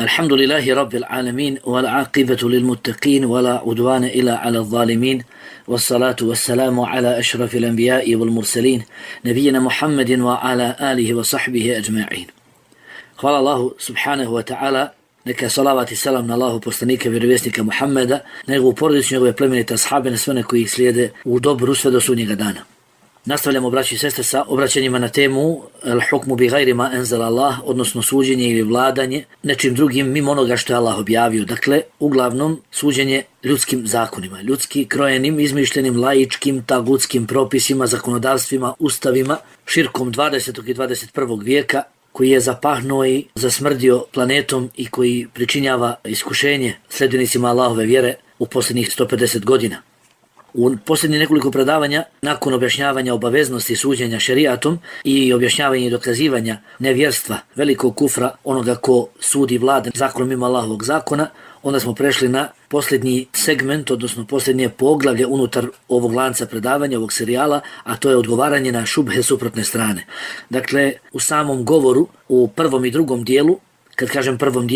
الحمد لله رب العالمين والعاقبة للمتقين ولا عدوان إلا على الظالمين والصلاة والسلام على أشرف الأنبياء والمرسلين نبينا محمد وعلى آله وصحبه أجمعين. Hvala Allahu subhanahu wa ta'ala, neka salavat i salam na Allahu poslanika, vjerovjesnika Muhammeda, na njegovu porodicu, njegove plemenite ashabe, na sve one koji ih slijede u dobru sve do sudnjega dana. Nastavljamo, braći i sestre, sa obraćanjima na temu al-hukmu bi gajri ma enzal Allah, odnosno suđenje ili vladanje nečim drugim mimo onoga što je Allah objavio. Dakle, uglavnom suđenje ljudskim zakonima, ljudski krojenim, izmišljenim, laičkim, tagutskim propisima, zakonodavstvima, ustavima, širkom 20. i 21. vijeka, koji je zapahnuo i zasmrdio planetom i koji pričinjava iskušenje sljedbenicima Allahove vjere u posljednjih 150 godina. U posljednjih nekoliko predavanja, nakon objašnjavanja obaveznosti suđenja šerijatom i objašnjavanja i dokazivanja nevjerstva, velikog kufra, onoga ko sudi vlade zakonom mimo Allahovog zakona, onda smo prešli na posljednji segment, odnosno posljednje poglavlje unutar ovog lanca predavanja, ovog serijala, a to je odgovaranje na šubhe suprotne strane. Dakle, u samom govoru, u prvom i drugom dijelu, kad kažem prvom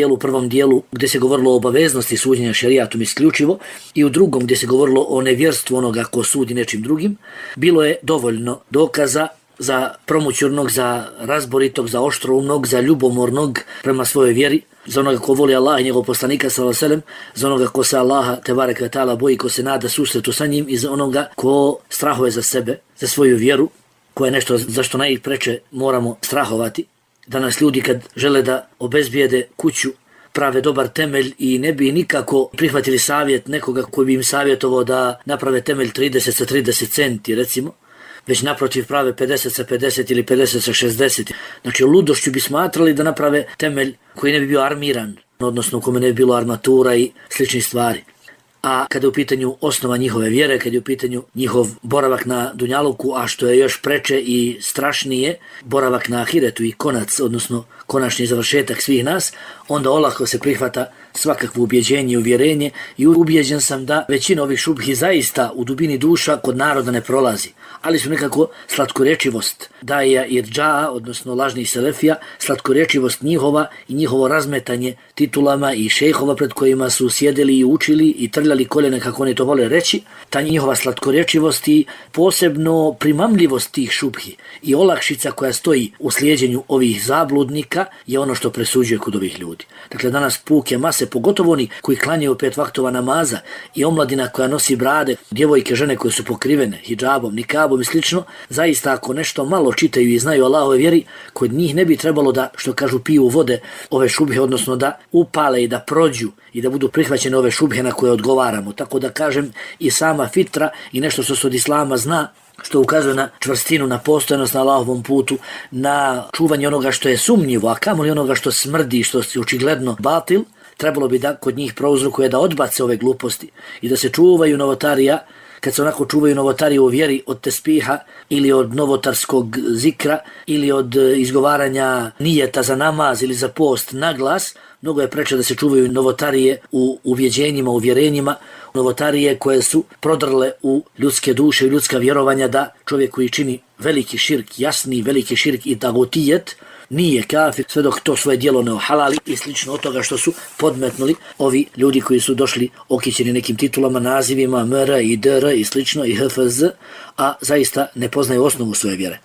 dijelu gdje se govorilo o obaveznosti suđenja šerijatom isključivo i u drugom gdje se govorilo o nevjerstvu onoga ko sudi nečim drugim, bilo je dovoljno dokaza za promućurnog, za razboritog, za oštroumnog, za ljubomornog prema svojoj vjeri, za onoga ko voli Allah i njegov poslanika sallallahu alejhi ve sellem, za onoga ko se Allaha tebareke ve taala boji, ko se nada susretu sa njim i za onoga ko strahuje za sebe, za svoju vjeru, koja je nešto za što najpreče moramo strahovati. Danas ljudi kad žele da obezbijede kuću, prave dobar temelj i ne bi nikako prihvatili savjet nekoga koji bi im savjetovao da naprave temelj 30 sa 30 centi recimo, već naprotiv prave 50 sa 50 ili 50 sa 60. Znači ludošću bi smatrali da naprave temelj koji ne bi bio armiran, odnosno u kome ne bi bilo armatura i sličnih stvari. A kada je u pitanju osnova njihove vjere, kada je u pitanju njihov boravak na dunjaluku, a što je još preče i strašnije, boravak na ahiretu i konac, odnosno konačni završetak svih nas, onda olako se prihvata svakakvo ubjeđenje i uvjerenje i ubjeđen sam da većina ovih šubhi zaista u dubini duša kod naroda ne prolazi, ali su nekako slatkorečivost daja i džaa, odnosno lažnih selefija, slatkorečivost njihova i njihovo razmetanje titulama i šejhova pred kojima su sjedeli i učili i trljali koljene kako oni to vole reći, ta njihova slatkorečivost i posebno primamljivost tih šubhi i olakšica koja stoji u slijeđenju ovih zabludnika je ono što presuđuje kod ovih ljudi. Dakle, danas puke mase, pogotovo oni koji klanjaju 5 vaktova namaza i omladina koja nosi brade, djevojke, žene koje su pokrivene hidžabom, nikabom i slično, zaista ako nešto malo čitaju i znaju Allahove vjeri, kod njih ne bi trebalo da, što kažu, piju vode ove šubhe, odnosno da upale i da prođu i da budu prihvaćene ove šubhe na koje odgovaramo. Tako da kažem, i sama fitra i nešto što se od islama zna, što ukazuje na čvrstinu, na postojanost na Allahovom putu, na čuvanje onoga što je sumnjivo, a kamoli onoga što smrdi, što je očigledno batil, trebalo bi da kod njih prouzrokuje da odbace ove gluposti i da se čuvaju novotarija, kad se onako čuvaju novotarije u vjeri od tespiha ili od novotarskog zikra ili od izgovaranja nijeta za namaz ili za post na glas, mnogo je preče da se čuvaju novotarije u uvjeđenjima, uvjerenjima, novotarije koje su prodrle u ljudske duše i ljudska vjerovanja da čovjek koji čini veliki širk, jasni veliki širk i tagotijet, nije kafir sve dok to svoje djelo ne ohalali i slično od toga što su podmetnuli ovi ljudi koji su došli okićeni nekim titulama, nazivima MR i DR i slično i HFZ, a zaista ne poznaju osnovu svoje vjere.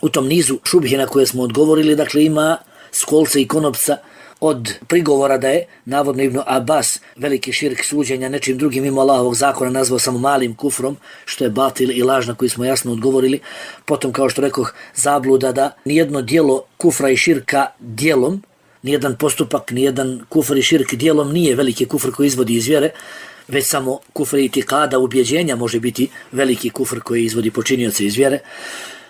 U tom nizu šubhi na koje smo odgovorili, dakle ima skolce i konopca od prigovora da je navodno Ibn Abbas veliki širk suđenja nečim drugim mimo Allahovog zakona nazvao samo malim kufrom, što je batil i laž na koji smo jasno odgovorili. Potom, kao što rekoh, zabluda da nijedno djelo kufra i širka djelom, nijedan postupak, nijedan kufr i širk djelom nije veliki kufr koji izvodi iz vjere, već samo kufr i itikada, ubjeđenja može biti veliki kufr koji izvodi počinioce iz vjere.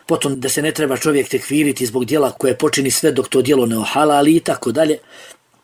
Potom da se ne treba čovjek tekfiriti zbog djela koje počini sve dok to djelo ne ohalali i tako dalje,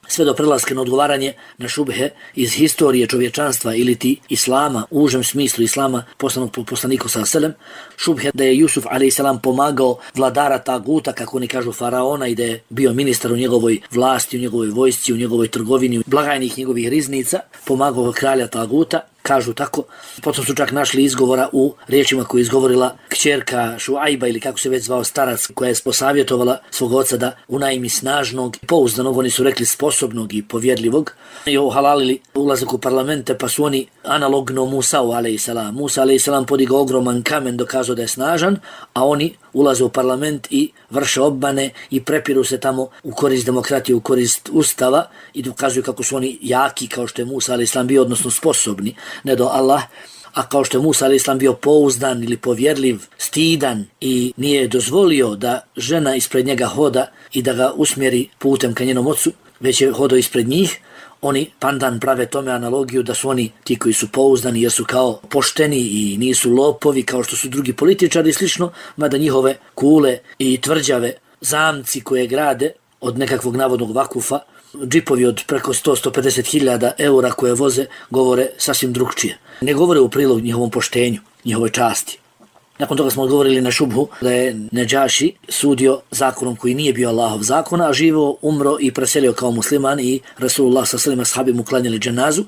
sve do prelaska na odgovaranje na šubhe iz historije čovječanstva ili ti islama, u užem smislu islama poslanog po poslaniku sallallahu alejhi ve sellem, šubhe da je Jusuf alejhi selam pomagao vladara taguta, kako oni kažu faraona, i da je bio ministar u njegovoj vlasti, u njegovoj vojsci, u njegovoj trgovini, blagajnih njegovih riznica, pomagao kralja taguta. kažu tako. Potom su čak našli izgovora u riječima koje je izgovorila kćerka Šuajba ili kako se već zvao starac, koja je posavjetovala svog oca da unajmi snažnog, pouzdanog, oni su rekli sposobnog i povjerljivog, i ohalalili ulazak u parlamente, pa su oni analogno Musa'u a.s. Musa a.s. podigao ogroman kamen, dokazao da je snažan, a oni ulaze u parlament i vrše obmane i prepiru se tamo u korist demokratije, u korist ustava i dokazuju kako su oni jaki, kao što je Musa a.s. bio, odnosno sposobni, ne do Allah, a kao što je Musa a.s. bio pouzdan ili povjerljiv, stidan i nije dozvolio da žena ispred njega hoda i da ga usmjeri putem ka njenom ocu, već je hodao ispred njih. Oni pandan prave tome analogiju da su oni ti koji su pouzdani jer su kao pošteni i nisu lopovi kao što su drugi političari i slično, mada njihove kule i tvrđave, zamci koje grade od nekakvog navodnog vakufa, džipovi od preko 100-150 hiljada eura koje voze, govore sasvim drugčije. Ne govore u prilog njihovom poštenju, njihovoj časti. Nakon toga smo odgovorili na šubhu da je Nedžaši sudio zakonom koji nije bio Allahov zakona, a živo, umro i preselio kao musliman i Rasulullah sa svima ashabi mu klanjali dženazu,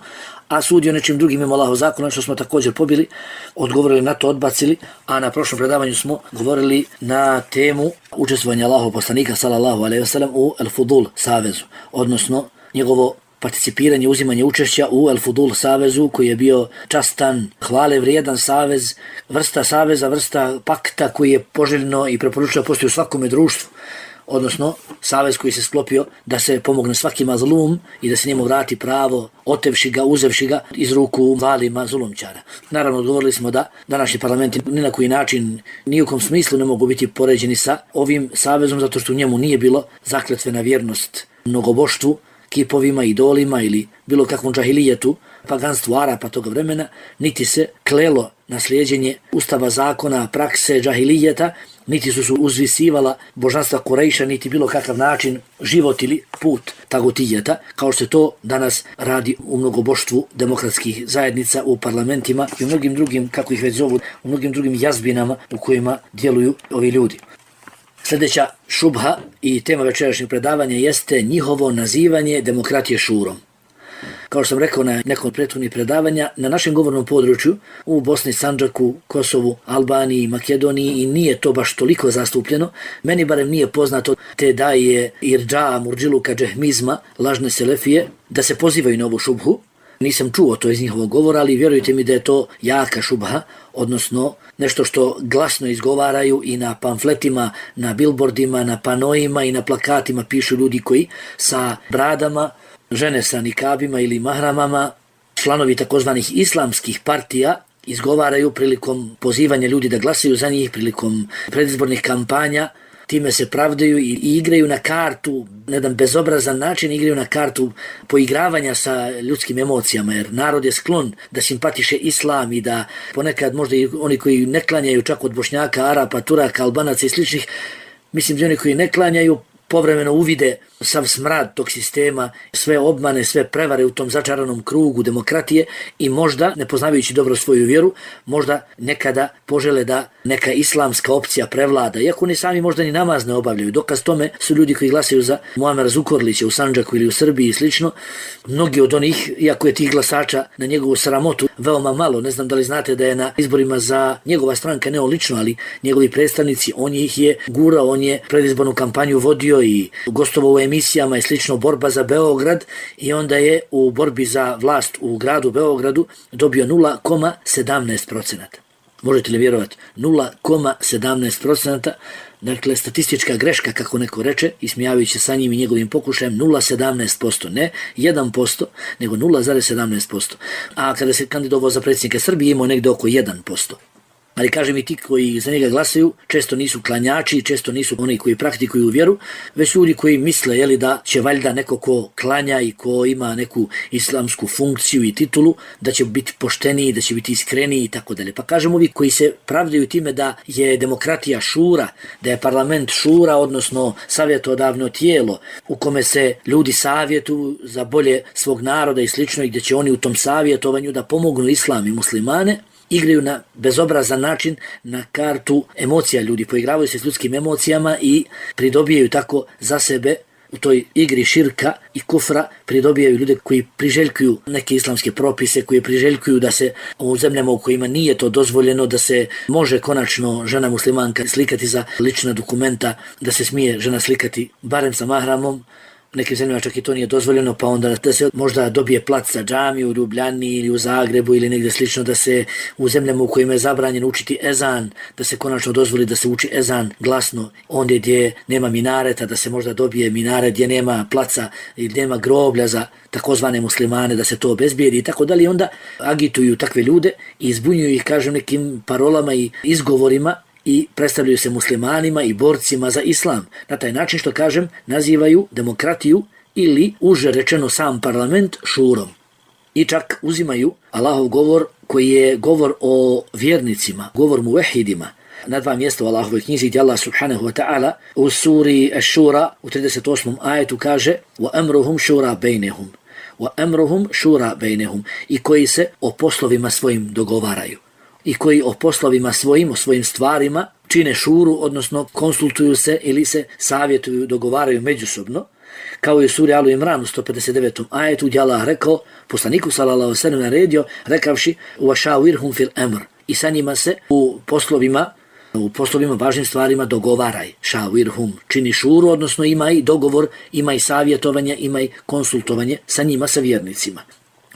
a sudio nečim drugim mimo Allahov zakona, što smo također pobili, odgovorili na to, odbacili, a na prošlom predavanju smo govorili na temu učestvovanja Allahov poslanika sallallahu alejhi ve sellem u El Fudul savezu, odnosno njegovo participiranje, uzimanje učešća u El Fudul savezu koji je bio častan, hvale vrijedan savez, vrsta saveza, vrsta pakta koji je poželjno i preporučeno postoji u svakome društvu, odnosno savez koji se sklopio da se pomogne svakima zlum i da se njemu vrati pravo, otevši ga, uzevši ga iz ruku valima zulumčara. Naravno, odgovorili smo da današnji parlamenti ni na koji način, ni u kom smislu ne mogu biti poređeni sa ovim savezom, zato što u njemu nije bilo zakletve na vjernost mnogoboštvu, kipovima, idolima ili bilo kakvom džahilijetu, paganstvu Arapa toga vremena, niti se klelo na slijeđenje ustava, zakona, prakse džahilijeta, niti su uzvisivala božanstva Kurejša, niti bilo kakav način život ili put tagutijeta, kao što se to danas radi u mnogoboštvu demokratskih zajednica, u parlamentima i u mnogim drugim, kako ih već zovu, u mnogim drugim jazbinama u kojima djeluju ovi ljudi. Sljedeća šubha i tema večerašnjeg predavanja jeste njihovo nazivanje demokratije šurom. Kao što sam rekao na nekom od prethodnih predavanja, na našem govornom području u Bosni, Sandžaku, Kosovu, Albaniji, Makedoniji i nije to baš toliko zastupljeno, meni barem nije poznato te daje irđa, murđiluka, džehmizma, lažne selefije, da se pozivaju na ovu šubhu. Nisam čuo to iz njihovog govora, ali vjerujte mi da je to jaka šubha, odnosno nešto što glasno izgovaraju i na pamfletima, na bilbordima, na panojima i na plakatima pišu ljudi koji sa bradama, žene sa nikabima ili mahramama, članovi takozvanih islamskih partija, izgovaraju prilikom pozivanja ljudi da glasaju za njih, prilikom predizbornih kampanja, time se pravdaju i igraju na kartu, na jedan bezobrazan način igraju na kartu poigravanja sa ljudskim emocijama, jer narod je sklon da simpatiše islam i da ponekad možda i oni koji ne klanjaju čak od Bošnjaka, Arapa, Turaka, Albanaca i sličnih, mislim da oni koji ne klanjaju povremeno uvide sav smrad tog sistema, sve obmane, sve prevare u tom začaranom krugu demokratije i možda, ne poznavajući dobro svoju vjeru, možda nekada požele da neka islamska opcija prevlada, iako oni sami možda ni namaz ne obavljaju. Dokaz tome su ljudi koji glasaju za Muamera Zukorlića u Sandžaku ili u Srbiji i slično. Mnogi od onih, iako je tih glasača na njegovu sramotu veoma malo, ne znam da li znate da je na izborima za njegova stranka, ne on lično, ali njegovi predstavnici, on ih je gurao, on je predizbornu kampanju vodio i gostovao u emisijama i slično, borba za Beograd, i onda je u borbi za vlast u gradu Beogradu dobio 0,17%. Možete li vjerovati? 0,17%. Dakle, statistička greška, kako neko reče, ismijavajući sa njim i njegovim pokušajem, 0,17%, ne 1%, nego 0,17%. A kada se kandidovao za predsjednika Srbije, imao negdje oko 1%. Ali kažem, i ti koji za njega glasaju često nisu klanjači, često nisu oni koji praktikuju vjeru, već ljudi koji misle da će valjda neko ko klanja i ko ima neku islamsku funkciju i titulu, da će biti pošteniji, da će biti iskreniji i tako dalje. Pa kažem, ovi koji se pravdaju time da je demokratija šura, da je parlament šura, odnosno savjetodavno tijelo u kome se ljudi savjetuju za bolje svog naroda i slično, i gdje će oni u tom savjetovanju da pomognu islam i muslimane, igraju na bezobrazan način na kartu emocija ljudi, poigravaju se s ljudskim emocijama i pridobijaju tako za sebe u toj igri širka i kufra pridobijaju ljude koji priželjkuju neke islamske propise, koji priželjkuju da se u zemljama u kojima nije to dozvoljeno, da se može konačno žena muslimanka slikati za lična dokumenta, da se smije žena slikati barem sa mahramom. U nekim zemljama čak i to nije dozvoljeno, pa onda da se možda dobije plac za džamiju u Ljubljani ili u Zagrebu ili negdje slično, da se u zemljama u kojima je zabranjeno učiti ezan, da se konačno dozvoli da se uči ezan glasno, ondje gdje nema minareta, da se možda dobije minaret gdje nema placa ili nema groblja za takozvane muslimane, da se to obezbijedi i tako dalje. Onda agituju takve ljude i izbunjuju ih, kažem, nekim parolama i izgovorima i predstavljaju se muslimanima i borcima za islam. Na taj način, što kažem, nazivaju demokratiju ili uže rečeno sam parlament šurom. I čak uzimaju Allahov govor koji je govor o vjernicima, govor muvehidima. Na dva mjesta u Allahovoj knjizi gdje Allah subhanahu wa ta'ala u suri Ash-Shura u 38. ajetu kaže وَأَمْرُهُمْ شُورَا بَيْنَهُمْ وَأَمْرُهُمْ شُورَا بَيْنَهُمْ i koji se o poslovima svojim dogovaraju. I koji o poslovima svojim, o svojim stvarima čine šuru, odnosno konsultuju se ili se savjetuju, dogovaraju međusobno, kao i u suri Alu Imran u 159. ajetu gdje Allah rekao, poslaniku sallallahu alejhi ve sellem naredio, rekavši وَشَاوِرْهُمْ فِي الْأَمْرِ i sa njima se u poslovima važnim stvarima dogovaraj. Šavirhum čini šuru, odnosno ima i dogovor, ima i savjetovanje, ima i konsultovanje sa njima, sa vjernicima.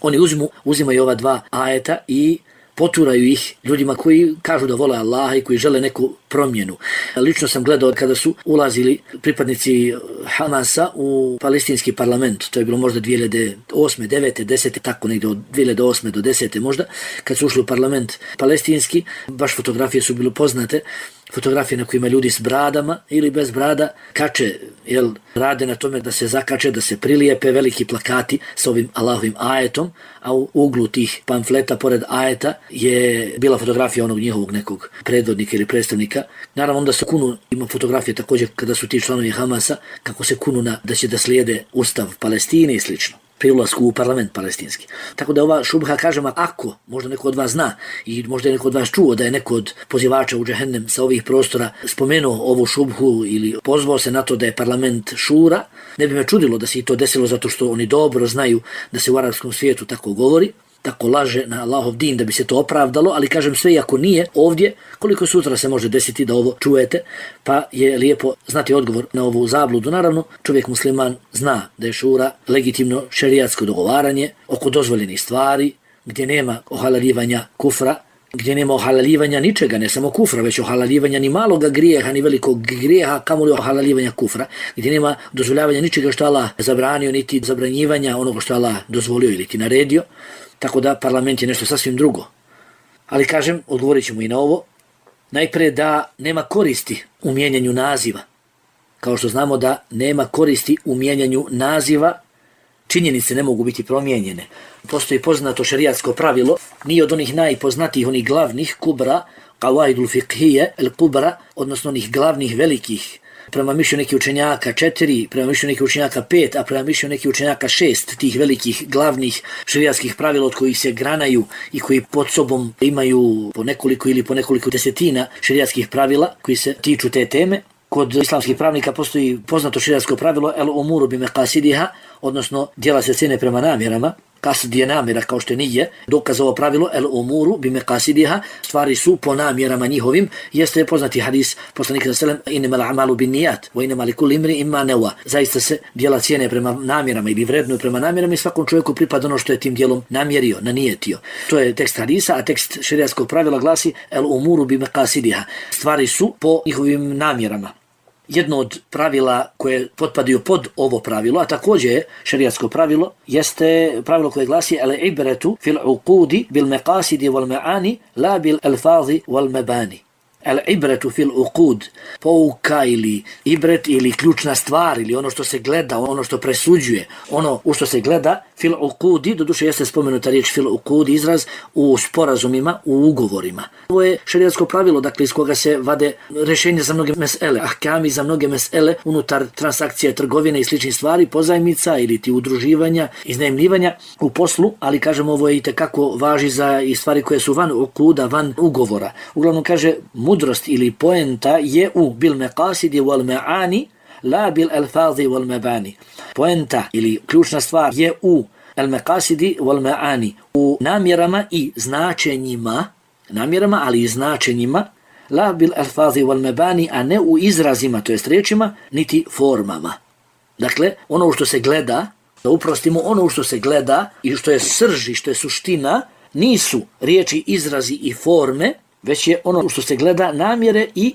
Oni uzimaju ova dva ajeta i poturaju ih ljudima koji kažu da vole Allaha i koji žele neku promjenu. Lično sam gledao kada su ulazili pripadnici Hamasa u palestinski parlament, to je bilo možda 2008, 9, 10, tako negdje od 2008 do 10 možda, kad su ušli u parlament palestinski, baš fotografije su bile poznate, fotografije na kojima ljudi s bradama ili bez brada kače, rade na tome da se zakače, da se prilijepe veliki plakati s ovim Allahovim ajetom, a u uglu tih pamfleta pored ajeta je bila fotografija onog njihovog nekog predvodnika ili predstavnika. Naravno onda se kunu, ima fotografije također kada su ti članovi Hamasa, kako se kunu da će da slijede ustav Palestine i slično, pri ulasku u parlament palestinski. Tako da ova šubha, kažem, ako možda neko od vas zna i možda je neko od vas čuo da je neko od pozivača u džehennem sa ovih prostora spomenuo ovu šubhu ili pozvao se na to da je parlament šura, ne bi me čudilo da se i to desilo zato što oni dobro znaju da se u arapskom svijetu tako govori, tako laže na Allahov din da bi se to opravdalo, ali kažem sve i ako nije ovdje, koliko sutra se može desiti da ovo čujete, pa je lijepo znati odgovor na ovu zabludu. Naravno, čovjek musliman zna da je šura legitimno šerijatsko dogovaranje oko dozvoljenih stvari, gdje nema ohalaljivanja kufra, gdje nema ohalaljivanja ničega, ne samo kufra, već ohalaljivanja ni maloga grijeha, ni velikog grijeha, kamoli ohalaljivanja kufra, gdje nema dozvoljavanja ničega što Allah zabranio, niti zabranjivanja onoga što Allah dozvolio ili ti naredio. Tako da parlament je nešto sasvim drugo. Ali kažem, odgovorit ćemo i na ovo. Najprije da nema koristi u mijenjanju naziva. Kao što znamo da nema koristi u mijenjanju naziva, činjenice ne mogu biti promijenjene. Postoji poznato šerijatsko pravilo, nije od onih najpoznatijih, onih glavnih kubra, qawaidul fiqhije, el kubra, odnosno onih glavnih velikih, prema mišljenju nekih učenjaka 4, prema mišljenju nekih učenjaka 5, a prema mišljenju nekih učenjaka 6 tih velikih glavnih šerijatskih pravila od kojih se granaju i koji pod sobom imaju po nekoliko desetina šerijatskih pravila koji se tiču te teme. Kod islamskih pravnika postoji poznato šerijatsko pravilo el umuru bi meqasidiha, odnosno djela se cene prema namjerama. Kasd je namjera kao što nije, dokaz ovo pravilo el umuru bi meqasidiha, stvari su po namjerama njihovim, jeste poznati hadis poslanika sallallahu alejhi ve sellem innamal a'malu binniyat wa innamal likulli imri'in ma nawa. Zaista se djela cijene prema namjerama ili vrednuju prema namjerama i svakom čovjeku pripada ono što je tim djelom namjerio, nanijetio. To je tekst hadisa, a tekst šerijatskog pravila glasi el umuru bi meqasidiha, stvari su po njihovim namjerama. Jedno od pravila koje potpadaju pod ovo pravilo, a također je šerijatsko pravilo, jeste pravilo koje glasi al ibretu fil uqudi bil meqasidi wal ma'ani la bil alfazi wal mabani. Al ibretu fil uqud, pouka ili ibret ili ključna stvar ili ono što se gleda, ono što presuđuje, ono u što se gleda, fil uqudi, doduše jeste spomenuta riječ fil uqud, izraz u sporazumima, u ugovorima. Ovo je šerijatsko pravilo, dakle iz koga se vade rješenje za mnoge mesele, ahkami za mnoge mesele unutar transakcije, trgovine i sličnih stvari, pozajmica ili ti udruživanja, iznajmljivanja u poslu, ali kažem ovo je itekako važi za i stvari koje su van uquda, van ugovora. Uglavnom kaže mudrost ili poenta je u bil meqasidi wal ma'ani, la bil alfazi wal mabani. Poenta ili ključna stvar je u al-maqasidi wal ma'ani, u namjerama i značenjima, namjerama ali i značenjima, la bil alfazi wal mabani, a ne u izrazima, to jest riječima, niti formama. Dakle, ono što se gleda, da uprostimo, ono što se gleda i što je srž i što je suština, nisu riječi, izrazi i forme, već je ono što se gleda namjere i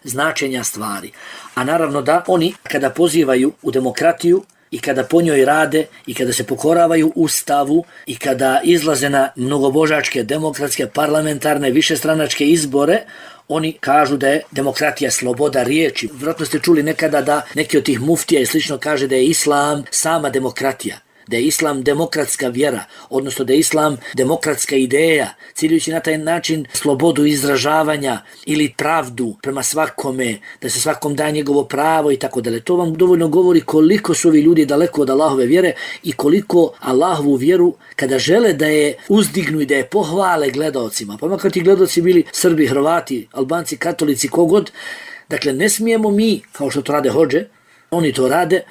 značenja stvari. A naravno da oni kada pozivaju u demokratiju i kada po njoj rade i kada se pokoravaju Ustavu i kada izlaze na mnogobožačke, demokratske, parlamentarne, višestranačke izbore, oni kažu da je demokratija sloboda riječi. Vjerojatno ste čuli nekada da neki od tih muftija i slično kaže da je islam sama demokratija, da je islam demokratska vjera, odnosno da je islam demokratska ideja, ciljujući na taj način slobodu izražavanja ili pravdu prema svakome, da se svakom da njegovo pravo i tako dalje. To vam dovoljno govori koliko su ovi ljudi daleko od Allahove vjere i koliko Allahovu vjeru, kada žele da je uzdignu i da je pohvale gledaocima, pa makar ti gledaoci bili Srbi, Hrvati, Albanci, Katolici, kogod, dakle ne smijemo mi, kao što to rade hodže, oni to rade,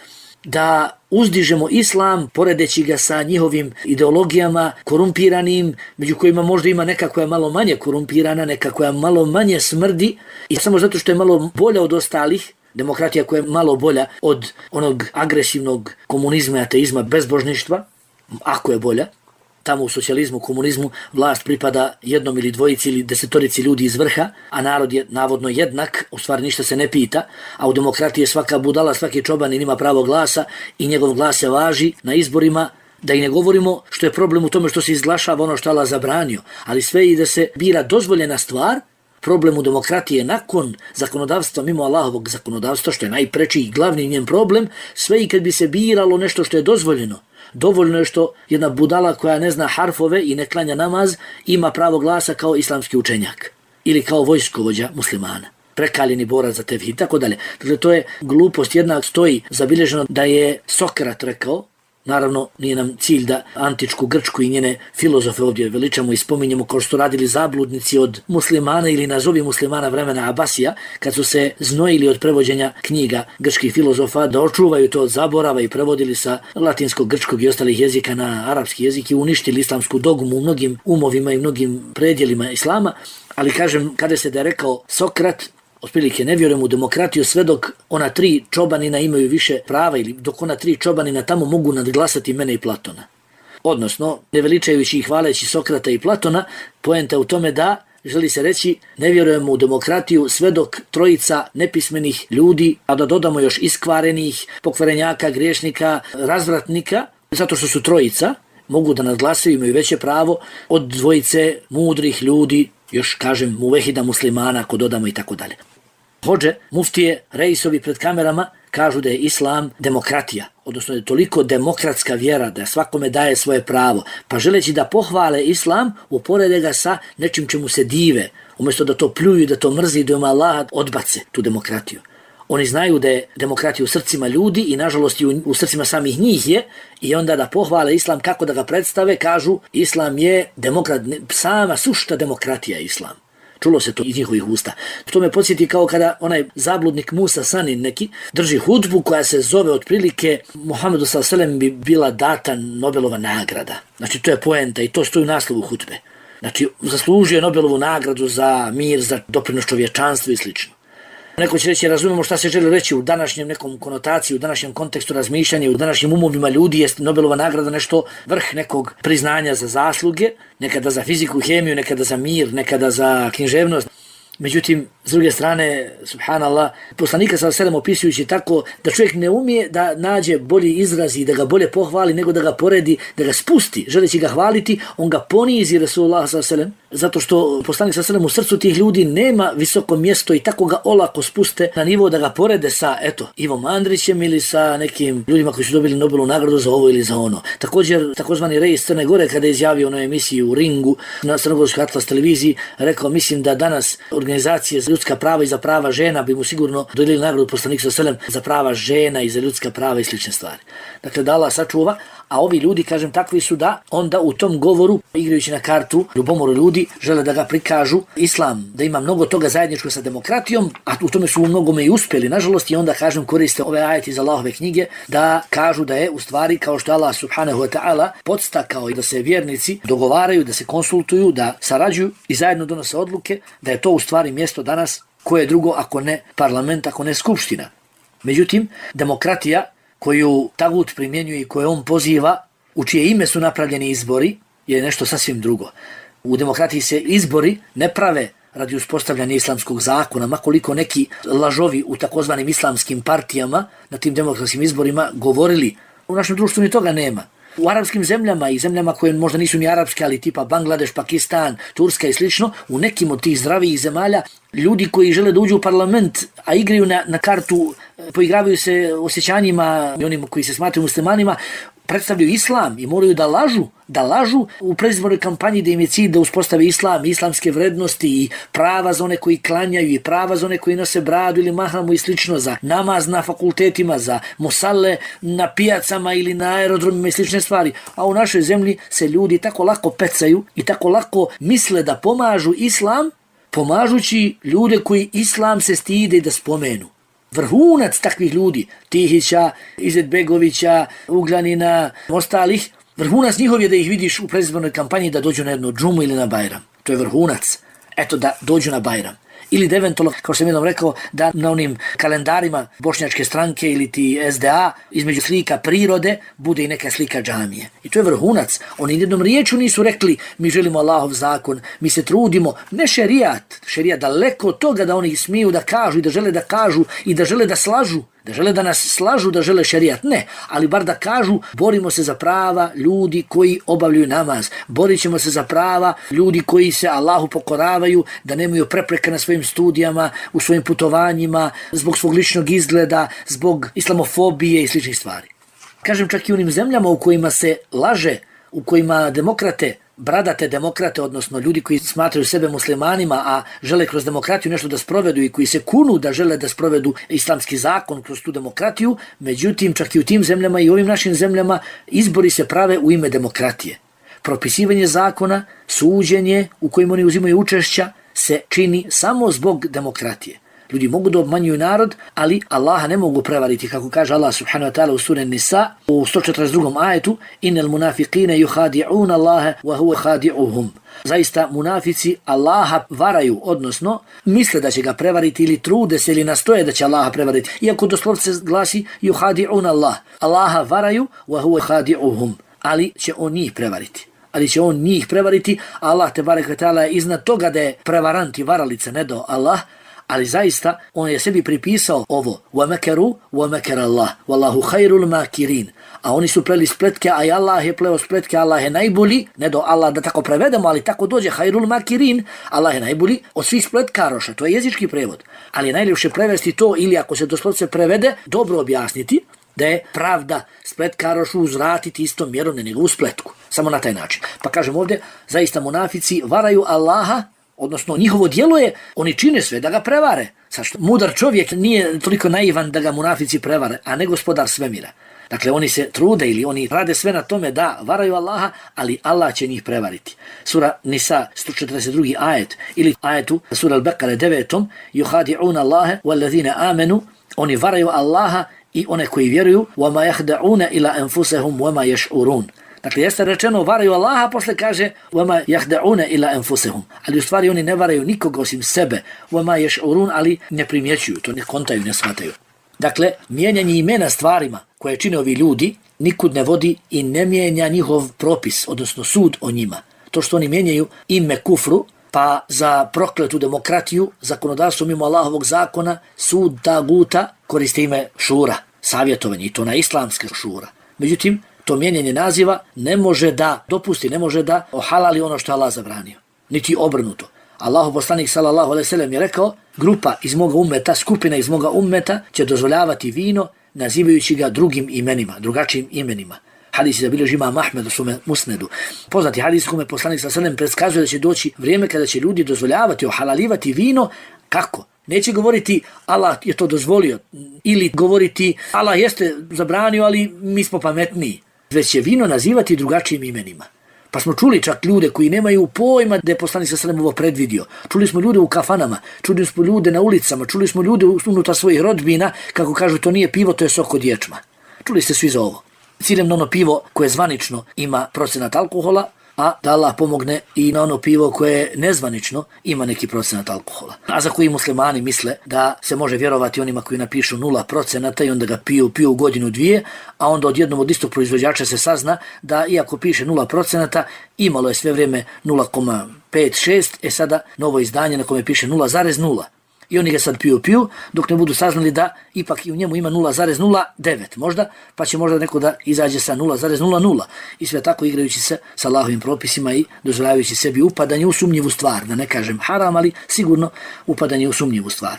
da uzdižemo islam poredeći ga sa njihovim ideologijama korumpiranim, među kojima možda ima neka koja je malo manje korumpirana, neka koja malo manje smrdi i samo zato što je malo bolja od ostalih, demokratija koja je malo bolja od onog agresivnog komunizma, ateizma, bezbožništva, ako je bolja. Tamo u socijalizmu, komunizmu vlast pripada jednom ili dvojici ili desetorici ljudi iz vrha, a narod je navodno jednak, u stvari ništa se ne pita, a u demokratiji je svaka budala, svaki čobanin ima pravo glasa i njegov glas se važi na izborima, da i ne govorimo što je problem u tome što se izglašava ono što Allah zabranio, ali sve i da se bira dozvoljena stvar. Problem u demokratiji je nakon zakonodavstva, mimo Allahovog zakonodavstva, što je najpreći i glavni njen problem, sve i kad bi se biralo nešto što je dozvoljeno. Dovoljno je što jedna budala koja ne zna harfove i ne klanja namaz ima pravo glasa kao islamski učenjak ili kao vojskovođa muslimana, prekaljeni borac za tevhid, tako dalje. Dakle, to je glupost. Jedna stoji zabilježeno da je Sokrat rekao, naravno nije nam cilj da antičku Grčku i njene filozofe ovdje veličamo i spominjemo kao što radili zabludnici od muslimana ili nazovi muslimana vremena Abasija, kad su se znojili od prevođenja knjiga grčkih filozofa da očuvaju to od zaborava i prevodili sa latinskog, grčkog i ostalih jezika na arapski jezik i uništili islamsku dogmu u mnogim umovima i mnogim predjelima islama. Ali kažem, kada se da je rekao Sokrat, otprilike ne vjerujem u demokratiju sve dok ona 3 čobanina imaju više prava ili dok ona 3 čobanina tamo mogu nadglasati mene i Platona. Odnosno, ne veličajući i hvaleći Sokrata i Platona, poenta u tome da želi se reći ne vjerujemo u demokratiju sve dok 3 nepismenih ljudi, a da dodamo još iskvarenih, pokvarenjaka, griješnika, razvratnika, zato što su 3, mogu da nadglasaju, imaju veće pravo od 2 mudrih ljudi, još kažem muvehida muslimana ako dodamo i tako dalje. Hodže, muftije, reisovi pred kamerama kažu da je islam demokratija, odnosno da je toliko demokratska vjera da svakome daje svoje pravo, pa želeći da pohvale islam, uporede ga sa nečim čemu se dive, umjesto da to pljuju, da to mrzi, da Allah odbace tu demokratiju. Oni znaju da je demokratija u srcima ljudi i nažalost i u srcima samih njih je, i onda da pohvale islam kako da ga predstave, kažu islam je demokrat, sama sušta demokratija je islam. Čulo se to iz njihovih usta. To me podsjeti kao kada onaj zabludnik Musa Sanin neki drži hudbu koja se zove otprilike Muhammedu s.a.v. bi bila data Nobelova nagrada. Znači to je poenta i to stoji u naslovu hudbe. Znači zaslužio je Nobelovu nagradu za mir, za doprinos čovječanstvu i slično. Neko će reći, razumemo šta se želi reći u današnjem nekom konotaciji, u današnjem kontekstu razmišljanja, u današnjim umovima ljudi je Nobelova nagrada nešto vrh nekog priznanja za zasluge, nekada za fiziku, hemiju, nekada za mir, nekada za književnost. Međutim, s druge strane, subhanallah, poslanika s.a.v. opisujući tako da čovjek ne umije da nađe bolji izraz i da ga bolje pohvali nego da ga poredi, da ga spusti, želeći ga hvaliti, on ga ponizi Rasulullah s.a.v. zato što poslanik s.a.v. u srcu tih ljudi nema visoko mjesto i tako ga olako spuste na nivo da ga porede sa, Ivom Andrićem ili sa nekim ljudima koji su dobili Nobelovu nagradu za ovo ili za ono. Također, takozvani Reis Crne Gore, kada je izjavio na emisiji u Ringu na Crnogorskoj Atlas televiziji, rekao, mislim da danas organizacije za ljudska prava i za prava žena bi mu sigurno dodijelili nagradu poslanika s.a.v. za prava žena i za ljudska prava i slične stvari. Dakle, da Allah sačuva, A ovi ljudi, kažem, takvi su da onda u tom govoru, igrajući na kartu ljubomoru ljudi, žele da ga prikažu islam, da ima mnogo toga zajedničko sa demokratijom, a u tome su u mnogome i uspjeli, nažalost, i onda, kažem, koriste ove ajete iz Allahove knjige da kažu da je u stvari, kao što Allah subhanahu wa ta'ala podstakao i da se vjernici dogovaraju, da se konsultuju, da sarađuju i zajedno donose odluke, da je to u stvari mjesto danas koje je drugo ako ne parlament, ako ne skupština. Međutim, demokratija koju tagut primjenjuje i koju on poziva, u čije ime su napravljeni izbori, je nešto sasvim drugo. U demokratiji se izbori ne prave radi uspostavljanja islamskog zakona, makoliko neki lažovi u takozvanim islamskim partijama na tim demokratskim izborima govorili. U našem društvu ni toga nema. U arapskim zemljama i zemljama koje možda nisu ni arapske, ali tipa Bangladeš, Pakistan, Turska i slično, u nekim od tih zdravijih zemalja, ljudi koji žele da uđu u parlament, a igraju na kartu, poigravaju se osjećanjima i onima koji se smatraju muslimanima, predstavljaju islam i moraju da lažu u predizbornoj kampanji da im je cilj da uspostave islam, islamske vrednosti i prava za one koji klanjaju i prava za one koji nose bradu ili mahramu i slično, za namaz na fakultetima, za musale na pijacama ili na aerodromima i slične stvari. A u našoj zemlji se ljudi tako lako pecaju i tako lako misle da pomažu islam, pomažući ljude koji islam se stide da spomenu. Vrhunac takvih ljudi, Tihića, Izetbegovića, Ugljanina, ostalih, vrhunac njihov je da ih vidiš u predizbornoj kampanji da dođu na jednu džumu ili na Bajram. To je vrhunac. Eto, da dođu na Bajram. Ili da eventualno, kao što sam jednom rekao, da na onim kalendarima Bošnjačke stranke ili ti SDA između slika prirode bude i neka slika džamije. I to je vrhunac. Oni jednom riječu nisu rekli mi želimo Allahov zakon, mi se trudimo, ne šerijat daleko od toga da oni smiju da kažu i da žele da kažu i da žele da slažu, da žele da nas slažu, da žele šerijat, ne, ali bar da kažu borimo se za prava ljudi koji obavljaju namaz, borit ćemo se za prava ljudi koji se Allahu pokoravaju, da nemaju prepreke na svojim studijama, u svojim putovanjima, zbog svog ličnog izgleda, zbog islamofobije i sličnih stvari. Kažem, čak i u onim zemljama u kojima se laže, u kojima demokrate, bradate demokrate, odnosno ljudi koji smatraju sebe muslimanima, a žele kroz demokratiju nešto da sprovedu i koji se kunu da žele da sprovedu islamski zakon kroz tu demokratiju, međutim, čak i u tim zemljama i ovim našim zemljama izbori se prave u ime demokratije. Propisivanje zakona, suđenje u kojim oni uzimaju učešća se čini samo zbog demokratije. Ljudi mogu da obmanjuju narod, ali Allaha ne mogu prevariti, kako kaže Allah subhanahu wa ta'ala u suri Nisa u 142. ajetu: Innal munafiqina yukhadi'una Allaha wa huwa khadi'uhum. Zaista munafici Allaha varaju, odnosno misle da će ga prevariti ili trude se ili nastoje da će Allaha prevariti. Iako doslovce glasi yukhadi'una Allah. Allaha varaju wa huwa khadi'uhum, ali će on njih prevariti. Allah tebarek ve taala je iznad toga da je prevarant i varalica, ne do Allah. Ali zaista on je sebi pripisao ovo: وَمَكَرُوا وَمَكَرَ اللَّهُ وَاللَّهُ خَيْرُ الْمَاكِرِينَ. A oni su pleli spletke, a i Allah je pleo spletke, Allah je najbolji, ne do Allah da tako prevedemo, ali tako dođe, خَيْرُ الْمَاكِرِينَ, Allah je najbolji od svih spletkaroša, to je jezički prevod. Ali je najljepše prevesti to, ili ako se doslovce prevede, dobro objasniti da je pravda spletkarošu uzvratiti istom mjerom na njegovu spletku. Samo na taj način. Pa kažem ovdje, zaista munafici varaju Allaha, odnosno njihovo djelo je, oni čine sve da ga prevare. Sad što mudar čovjek nije toliko naivan da ga munafici prevare, a ne gospodar svemira. Dakle, oni se trude ili oni rade sve na tome da varaju Allaha, ali Allah će njih prevariti. Sura Nisa 142. ajet ili ajetu sura Al-Baqara 9. Yukhadi'una Allaha wallazina amanu, oni varaju Allaha i one koji vjeruju, وَمَا يَخْدَعُونَ إِلَا أَنفُسَهُمْ وَمَا يَشْعُرُونَ. Dakle, jeste rečeno varaju Allaha, posle kaže وَمَا يَخْدَعُونَ إِلَا أَنفُسَهُمْ. Ali u stvari oni ne varaju nikoga osim sebe. وَمَا يَشْعُرُونَ, ali ne primjećuju, to ne kontaju, ne shvataju. Dakle, mijenjanje imena stvarima koje čine ovi ljudi nikud ne vodi i ne mijenja njihov propis, odnosno sud o njima. To što oni mijenjaju ime kufru, pa za prokletu demokratiju, zakonodavstvo mimo Allahovog zakona, sud taguta koriste ime šura, savjetovanje, i to na islamske šura. Međutim, to mijenjanje naziva ne može da dopusti, ne može da ohalali ono što je Allah zabranio. Niti obrnuto. Allahov poslanik sallallahu alejhi ve sellem je rekao: grupa iz moga ummeta, skupina iz moga ummeta će dozvoljavati vino nazivajući ga drugim imenima, drugačijim imenima. Hadis je zabilježio imam Ahmed u svome musnedu. Poznati hadis kome poslanik sallallahu alejhi ve sellem predskazuje da će doći vrijeme kada će ljudi dozvoljavati, ohalalivati vino. Kako? Neće govoriti Allah je to dozvolio ili govoriti Allah jeste zabranio, ali mi smo pametniji. već će vino nazivati drugačijim imenima. Pa smo čuli čak ljude koji nemaju pojma da je poslanik sallallahu alejhi ve sellem ovo predvidio. Čuli smo ljude u kafanama, čuli smo ljude na ulicama, čuli smo ljude unutar svojih rodbina, kako kažu to nije pivo, to je sok od ječma. Čuli ste svi za ovo. Ciljem na ono pivo koje zvanično ima procenat alkohola, a da Allah pomogne i na ono pivo koje nezvanično ima neki procenat alkohola. A za koji muslimani misle da se može vjerovati onima koji napišu 0% i onda ga piju godinu dvije, a onda odjednom od istog proizvođača se sazna da iako piše 0%, imalo je sve vrijeme 0,5-6, sada novo izdanje na kome piše 0,0. I oni ga sad piju, dok ne budu saznali da ipak i u njemu ima 0,09 možda, pa će možda neko da izađe sa 0,00 i sve tako igrajući se sa Allahovim propisima i dozvoljavajući sebi upadanje u sumnjivu stvar, da ne kažem haram, ali sigurno upadanje u sumnjivu stvar.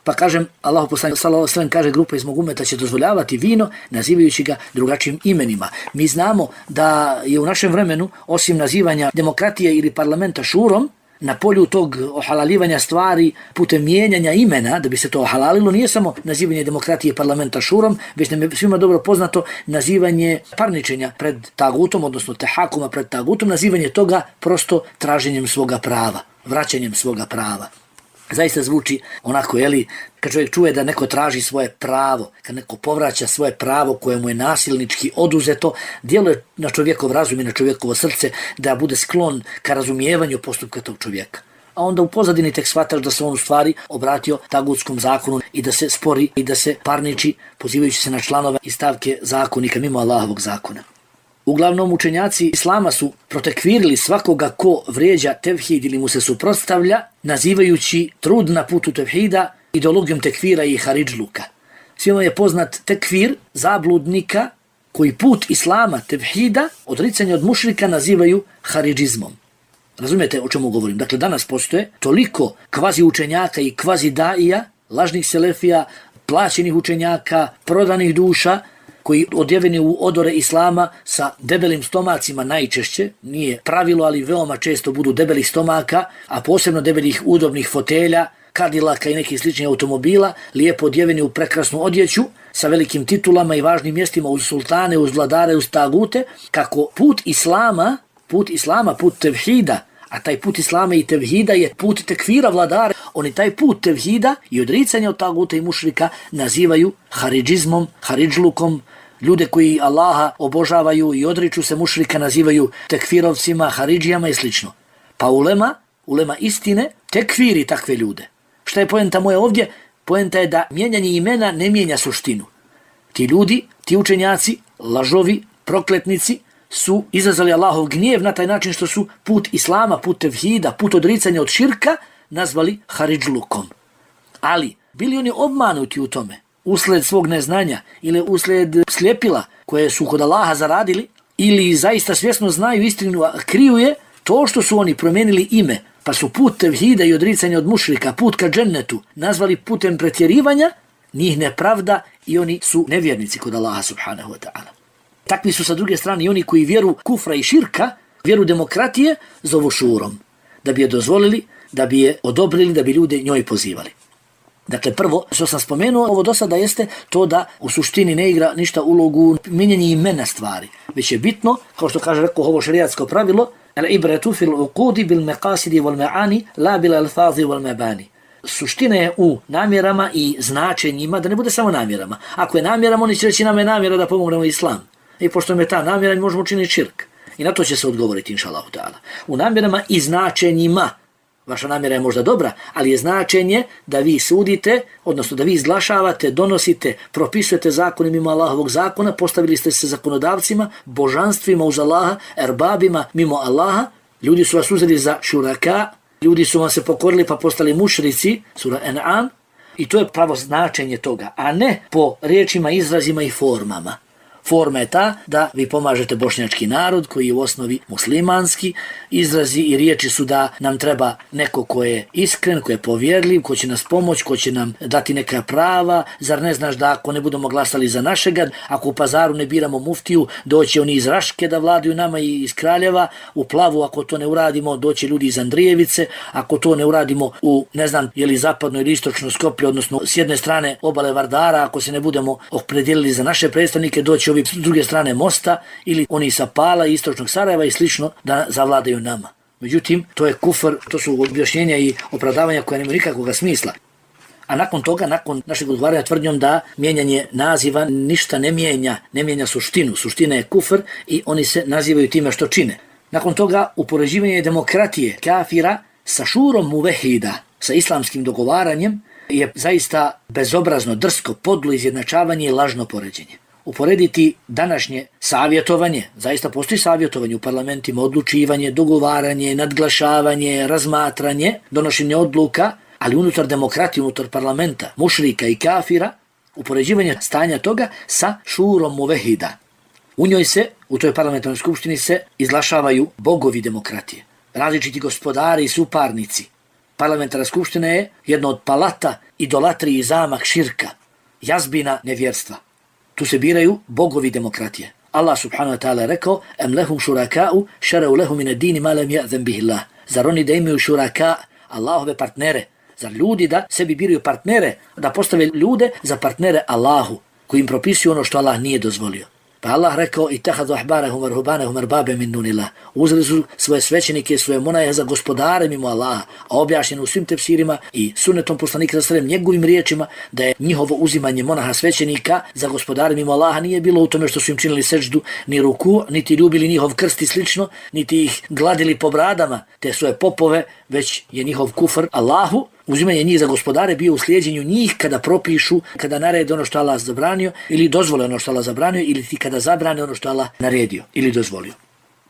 Pa kažem, Allahu poslanik sallallahu alejhi ve sellem kaže, grupa iz mog ummeta će dozvoljavati vino nazivajući ga drugačijim imenima. Mi znamo da je u našem vremenu, osim nazivanja demokratije ili parlamenta šurom, na polju tog ohalaljivanja stvari putem mijenjanja imena da bi se to ohalalilo, nije samo nazivanje demokratije parlamenta šurom, već nam je svima dobro poznato nazivanje parničenja pred tagutom, odnosno tehakuma pred tagutom, nazivanje toga prosto traženjem svoga prava, vraćanjem svoga prava. Zaista zvuči onako, kad čovjek čuje da neko traži svoje pravo, kad neko povraća svoje pravo koje mu je nasilnički oduzeto, djeluje na čovjekov razum i na čovjekovo srce da bude sklon ka razumijevanju postupka tog čovjeka. A onda u pozadini tek shvataš da se on u stvari obratio tagutskom zakonu i da se spori i da se parniči pozivajući se na članove i stavke zakonika mimo Allahovog zakona. Uglavnom učenjaci islama su protekvirili svakoga ko vrijeđa tevhid ili mu se suprotstavlja, nazivajući trud na putu tevhida ideologijom tekfira i haridžluka. Svima je poznat tekfir zabludnika koji put islama tevhida, odricanje od mušrika, nazivaju haridžizmom. Razumijete o čemu govorim? Dakle, danas postoje toliko kvazi učenjaka i kvazi daija, lažnih selefija, plaćenih učenjaka, prodanih duša, koji odjeveni u odore islama sa debelim stomacima najčešće, nije pravilo, ali veoma često budu debelih stomaka, a posebno debelih udobnih fotelja, Cadillaka i nekih sličnih automobila, lijepo odjeveni u prekrasnu odjeću, sa velikim titulama i važnim mjestima uz sultane, uz vladare, uz tagute, kako put islama, put tevhida, a taj put islama i tevhida je put tekfira vladara, oni taj put tevhida i odricanja od taguta i mušrika nazivaju haridžizmom, haridžlukom. Ljude koji Allaha obožavaju i odriču se mušrika nazivaju tekfirovcima, haridžijama i slično. Pa ulema istine tekfiri takve ljude. Šta je poenta moja ovdje? Poenta je da mijenjanje imena ne mijenja suštinu. Ti ljudi, ti učenjaci, lažovi, prokletnici su izazvali Allahov gnjev na taj način što su put islama, put tevhida, put odricanja od širka nazvali haridžlukom. Ali bili oni obmanuti u tome usled svog neznanja ili usled sljepila koje su kod Allaha zaradili ili zaista svjesno znaju istinu, a kriju je to što su oni promijenili ime, pa su put tevhida i odricanja od mušrika, put ka džennetu nazvali putem pretjerivanja, njih nepravda i oni su nevjernici kod Allaha subhanahu wa ta'ala. Takvi su sa druge strane i oni koji vjeru kufra i širka, vjeru demokratije, zovu šurom, da bi je dozvolili, da bi je odobrili, da bi ljude njoj pozivali. Dakle, prvo što sam spomenuo, ovo do sada jeste to da u suštini ne igra ništa ulogu mijenjanja imena stvari, već je bitno, kao što kaže ovo šerijatsko pravilo, al-ibratu fil uqudi bil maqasidi wal ma'ani la bil alfazi wal mabani. Suština je u namjerama i značenjima, da ne bude samo namjerama. Ako je namjerama, oni će reći nam je namjera da pomognemo islam. I pošto je ta namjera, mi možemo učiniti širk. I na to će se odgovoriti, inša Allahu ta'ala. U namjerama i značenjima. Vaša namjera je možda dobra, ali je značenje da vi sudite, odnosno da vi izglašavate, donosite, propisujete zakone mimo Allahovog zakona, postavili ste se zakonodavcima, božanstvima uz Allaha, erbabima mimo Allaha, ljudi su vas uzeli za šuraka, ljudi su vam se pokorili pa postali mušrici, sura An'am, i to je pravo značenje toga, a ne po riječima, izrazima i formama. Forma je ta da vi pomažete bošnjački narod koji je u osnovi muslimanski, izrazi i riječi su da nam treba neko ko je iskren, ko je povjerljiv, ko će nas pomoći, ko će nam dati neka prava. Zar ne znaš da ako ne budemo glasali za našega, ako u Pazaru ne biramo muftiju, doće oni iz Raške da vladaju nama i iz Kraljeva, u Plavu ako to ne uradimo doće ljudi iz Andrijevice, ako to ne uradimo u zapadno ili istočno Skoplje, odnosno s jedne strane obale Vardara, ako se ne budemo opredijelili za naše predstavnike, doće će ovi s druge strane mosta ili oni sa Pala i istočnog Sarajeva i slično da zavladaju nama. Međutim, to je kufr, to su objašnjenja i opravdavanja koja nemaju nikakvog smisla. A nakon toga, nakon našeg odgovaranja tvrdnjom da mijenjanje naziva ništa ne mijenja suštinu. Suština je kufr i oni se nazivaju time što čine. Nakon toga, upoređivanje demokratije kafira sa šurom muvehida, sa islamskim dogovaranjem, je zaista bezobrazno, drsko, podlo izjednačavanje i lažno poređenje. Uporediti današnje savjetovanje, zaista postoji savjetovanje u parlamentima, odlučivanje, dogovaranje, nadglašavanje, razmatranje, donošenje odluka, ali unutar demokratije, unutar parlamenta, mušrika i kafira, upoređivanje stanja toga sa šurom muvehida. U njoj se, u toj parlamentarnoj skupštini se izglašavaju bogovi demokratije, različiti gospodari i suparnici. Parlamentarna skupština je jedno od palata idolatrije i zamak širka, jazbina nevjerstva. Tu se biraju bogovi demokratije. Allah subhanahu wa ta'ala rekao: "Em lehum šuraka'u šara'u lehum min ad-dini ma lam ya'zan bihi Allah." Zar oni da imaju šuraka, Allahove partnere? Zar ljudi da sebi biraju partnere, da postave ljude za partnere Allahu, koji im propisuju ono što Allah nije dozvolio? Pa Allah rekao: "Ittakhadhu ahbarahum wa ruhbanahum arbaban min dunillah." Uzeli su svoje svećenike, svoje monahe za gospodare mimo Allaha, a objašnjeno u svim tefsirima i sunnetom poslanika sallallahu alejhi ve sellem njegovim riječima da je njihovo uzimanje monaha svećenika za gospodare mimo Allaha nije bilo u tome što su im činili sećdu ni ruku, niti ljubili njihov krst i slično, niti ih gladili po bradama te svoje popove, već je njihov kufr Allahu, uzimanje njih za gospodare bio u slijedjenju njih kada propišu, kada narede ono što Allah zabranio ili dozvole ono što Allah zabranio ili ti kada zabrane ono što Allah naredio ili dozvolio.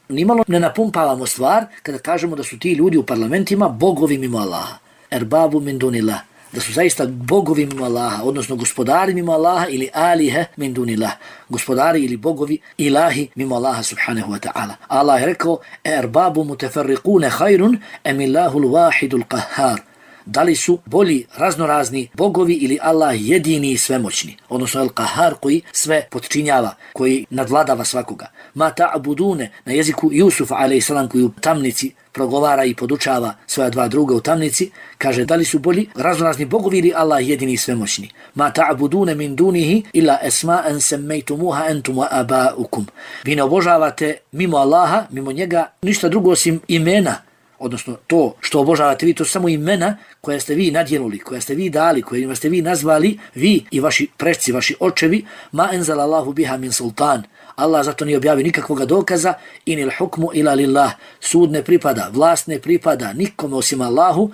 Nimalo ne napumpavamo stvar kada kažemo da su ti ljudi u parlamentima bogovi mimo Allaha. Erbabu min dunillah. Da su zaista bogovi mimo Allaha, odnosno gospodari mimo Allaha ili alihe min dunillah. Gospodari ili bogovi ilahi mimo Allaha subhanahu wa ta'ala. Allah je rekao: "Erbabu mutafarriqune khairun am Illahul wahidul qahhar." Da li su bolji raznorazni bogovi ili Allah jedini i svemoćni, odnosno El-Kahar koji sve potčinjava, koji nadvladava svakoga. Ma ta'budune, na jeziku Jusuf a.s. koji u tamnici progovara i podučava svoja dva druga u tamnici, kaže da li su bolji raznorazni bogovi ili Allah jedini i svemoćni. Ma ta'budune min dunihi illa esma'an semmejtumuha entum wa aba'ukum. Vi ne obožavate mimo Allaha, mimo njega, ništa drugo osim imena, odnosno to što obožavate vi, to su samo imena koja ste vi nadjenuli, koja ste vi dali, kojima ste vi nazvali, vi i vaši preci, vaši očevi, ma enzala Allahu biha min sultan. Allah zato nije objavio nikakvog dokaza, inil hukmu ila lillah. Sud ne pripada, vlast ne pripada nikome osim Allahu.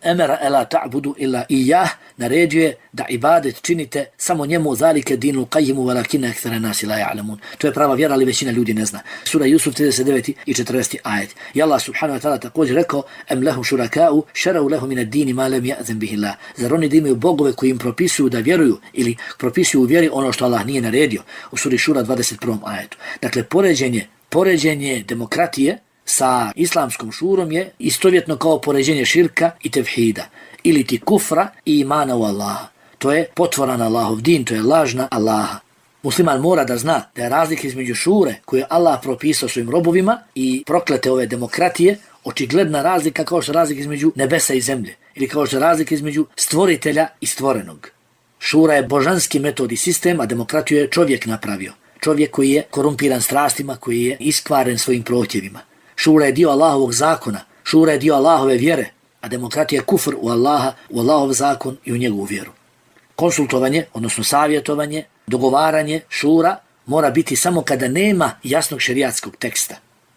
Emera ela ta'budu illa ijah, naređuje da ibadet činite samo njemu, zalike dinu qajimu walakina akthara nasi la ya'lamun. To je prava vjera, ali većina ljudi ne zna. Sura Jusuf 39. i 40. ajet. I Allah subhanahu wa ta'ala također rekao: "Em lehum šuraka'u šara'u lehum min ad-dini ma lam ya'zan bihi Allah." Zar oni da imaju bogove koji im propisuju da vjeruju ili propisuju u vjeri ono što Allah nije naredio? U suri Šura 21. ajetu. Dakle, poređenje demokratije sa islamskom šurom je istovjetno kao poređenje širka i tevhida, ili ti kufra i imana u Allaha. To je potvoran Allahov din, to je lažna Allaha. Musliman mora da zna da je razlika između šure koju je Allah propisao svojim robovima i proklete ove demokratije očigledna razlika kao što je razlika između nebesa i zemlje ili kao što je razlika između stvoritelja i stvorenog. Šura je božanski metod i sistem, a demokratiju je čovjek napravio. Čovjek koji je korumpiran strastima, koji je iskvaren svojim prohtjevima. Šura je dio Allahovog zakona, šura je dio Allahove vjere, a demokratija je kufr u Allaha, u Allahov zakon i u njegovu vjeru. Konsultovanje, odnosno savjetovanje, dogovaranje, šura mora biti samo kada nema jasnog šerijatskog teksta.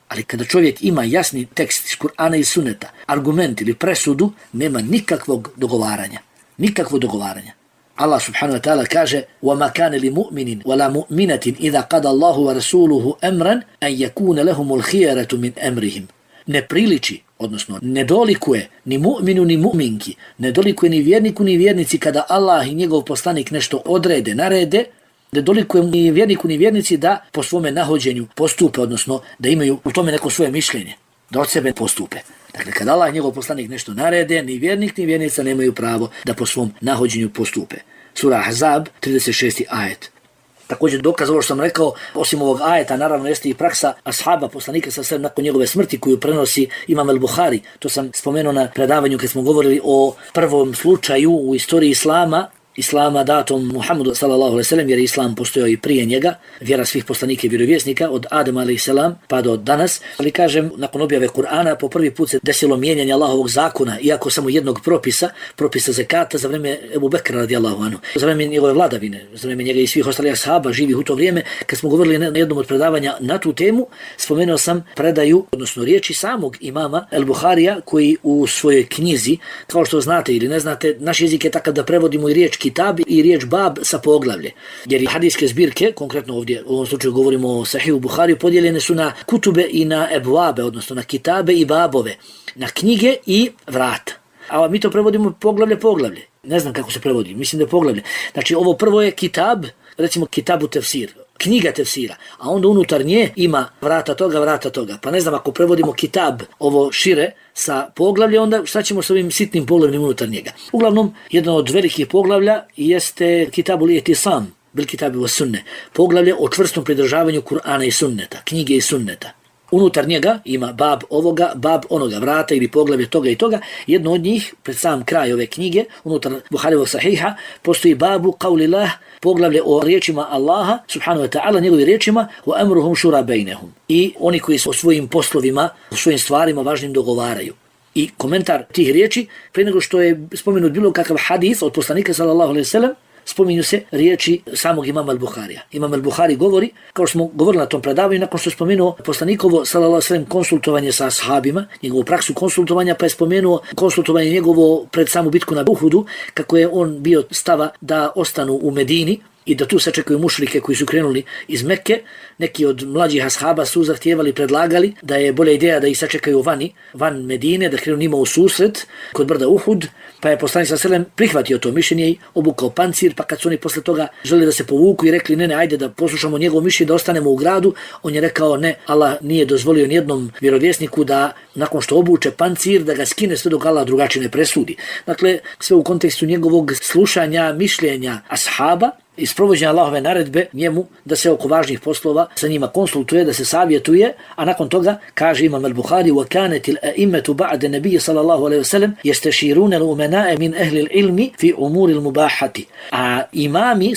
Ali kada čovjek ima jasni tekst iz Kur'ana i Sunneta, argument ili presudu, nema nikakvog dogovaranja. Nikakvog dogovaranja. Allah subhanahu wa ta'ala kaže: وَمَا كَانَ لِمُؤْمِنٍ وَلَا مُؤْمِنَةٍ إِذَا قَدَ اللَّهُ وَرَسُولُهُ أَمْرًا أَنْ يَكُونَ لَهُمُ الْخِيَرَةُ مِنْ أَمْرِهِمْ. Ne priliči, odnosno ne dolikuje ni mu'minu ni mu'minki, ne dolikuje ni vjerniku ni vjernici kada Allah i njegov poslanik nešto odrede, narede, ne dolikuje ni vjerniku ni vjernici da po svome nahođenju postupe, odnosno da imaju u tome neko svoje mišljenje, da od sebe postupe. Dakle, kada Allah i njegov poslanik nešto narede, ni vjernik ni vjernica nemaju pravo da po svom nahođenju postupe. Sura Ahzab, 36. ajet. Također dokaz ovo što sam rekao, osim ovog ajeta, naravno jeste i praksa ashaba poslanika sa sve nakon njegove smrti koju prenosi Imam el-Buhari. To sam spomenuo na predavanju kad smo govorili o prvom slučaju u istoriji Islama Islama datom Muhammedu sallallahu alejhi ve sellem, jer Islam postojao i prije njega, vjera svih poslanika i vjerovjesnika od Adama alejhi selam pa do danas. Ali kažem, nakon objave Kur'ana po prvi put se desilo mijenjanje Allahovog zakona, iako samo jednog propisa zekata za vrijeme Ebu Bekra radijallahu anhu, za vrijeme njegove vladavine, za vrijeme njega i svih ostalih ashaba živih u to vrijeme. Kad smo govorili na jednom od predavanja na tu temu, spomenuo sam predaju, odnosno riječi samog imama El-Buharija, koji u svojoj knjizi, kao što znate ili ne znate, naš jezik je takav da prevodimo i riječ kitab i riječ bab sa poglavlje. Jer hadijske zbirke, konkretno ovdje u ovom slučaju govorimo o Sahihu Buhariju, podijeljene su na kutube i na ebvabe, odnosno na kitabe i babove, na knjige i vrata. A mi to prevodimo poglavlje. Ne znam kako se prevodi, mislim da je poglavlje. Znači ovo prvo je kitab, recimo kitabu tefsir, knjiga tefsira, a onda unutar nje ima vrata toga. Pa ne znam, ako prevodimo kitab ovo šire sa poglavlje, onda šta ćemo s ovim sitnim poglavljem unutar njega? Uglavnom, jedno od velikih poglavlja jeste Kitabul I'tisam bil kitabi was sunne, poglavlje o čvrstom pridržavanju Kur'ana i sunneta, knjige i sunneta. Unutar njega ima bab ovoga, bab onoga, vrata ili poglavlje toga i toga. Jedno od njih, pred sam kraj ove knjige, unutar Buharijevog sahiha, postoji babu qaulillah, poglavlje o riječima Allaha, subhanahu wa ta'ala, njegovi riječima, wa amruhum shura bainahum. I oni koji su o svojim poslovima, o svojim stvarima važnim dogovaraju. I komentar tih riječi, prije nego što je spomenut bilo kakav hadis od poslanika sallallahu alejhi ve sellem, spominju se riječi samog imama Al-Buharija. Imam Al-Buhari govori, kao što smo govorili na tom predavanju, nakon što je spomenuo poslanikovo sallallahu alejhi ve sellem konsultovanje sa ashabima, njegovu praksu konsultovanja, pa je spomenuo konsultovanje njegovo pred samu bitku na Uhudu, kako je on bio stava da ostanu u Medini i da tu sačekaju mušrike koji su krenuli iz Mekke. Neki od mlađih ashaba su zahtijevali, predlagali da je bolja ideja da ih sačekaju van Medine, da krenu njima u susret kod brda Uhud, pa je poslanik sallallahu alejhi ve sellem prihvatio to mišljenje i obukao pancir, pa kad su oni posle toga želeli da se povuku i rekli ne, ajde da poslušamo njegovo mišljenje, da ostanemo u gradu, on je rekao ne, Allah nije dozvolio nijednom vjerovjesniku da nakon što obuče pancir da ga skine sve dok Allah drugačije ne presudi. Dakle, sve u kontekstu njegovog slušanja mišljenja ashaba i sprovođenja Allahove naredbe njemu da se oko važnih poslova sa njima konsultuje, da se savjetuje, a nakon toga kaže imam Al-Buhari wa kanetil a'immatu ba'de nebije sallallahu alejhi ve sellem yastashiruna al-umana'a min ahli al-ilmi fi umuri al-mubahati. A imami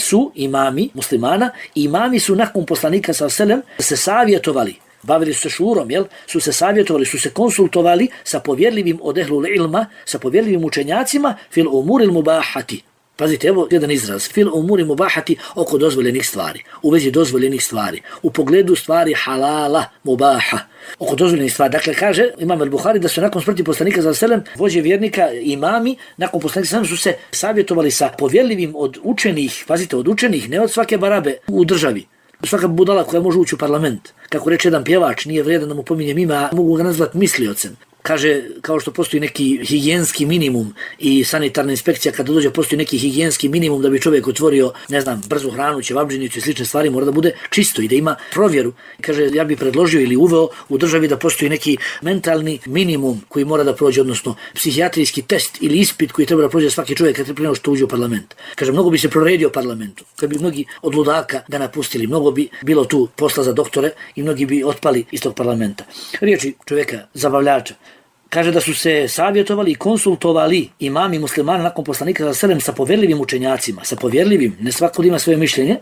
muslimana, imami su nakon poslanika sallallahu alejhi ve sellem se savjetovali, bavili su se šurom, su se savjetovali, su se konsultovali sa povjerljivim od ehlul ilma, sa povjerljivim učenjacima fil umuri al-mubahati. Pazite, evo jedan izraz, fil umuri mubahati, oko dozvoljenih stvari, u vezi dozvoljenih stvari, u pogledu stvari halala, mubaha, oko dozvoljenih stvari. Dakle, kaže imam Al-Buhari da su nakon smrti poslanika sallallahu alejhi ve sellem vođe vjernika, imami, nakon poslanika sallallahu alejhi ve sellem su se savjetovali sa povjerljivim od učenih, pazite, od učenih, ne od svake barabe u državi. Svaka budala koja može ući u parlament. Kako reče jedan pjevač, nije vrijedan da mu pominjem ime, mogu ga nazvati misliocem. Kaže, kao što postoji neki higijenski minimum i sanitarna inspekcija kada dođe postoji neki higijenski minimum da bi čovjek otvorio, ne znam, brzu hranu, ćevabdžinicu i slične stvari, mora da bude čisto i da ima provjeru. Kaže, ja bih predložio ili uveo u državi da postoji neki mentalni minimum koji mora da prođe, odnosno psihijatrijski test ili ispit koji treba da prođe svaki čovjek kad prije nego što uđe u parlament. Kaže, mnogo bi se proredio parlamentu, kad bi mnogi od ludaka ga napustili, mnogo bi bilo tu posla za doktore i mnogi bi otpali iz tog parlamenta. Riječi čovjeka, zabavljača. Kaže da su se savjetovali i konsultovali imami muslimana nakon poslanika sallallahu alejhi ve sellem sa povjerljivim učenjacima, sa povjerljivim, ne svako ima svoje mišljenje,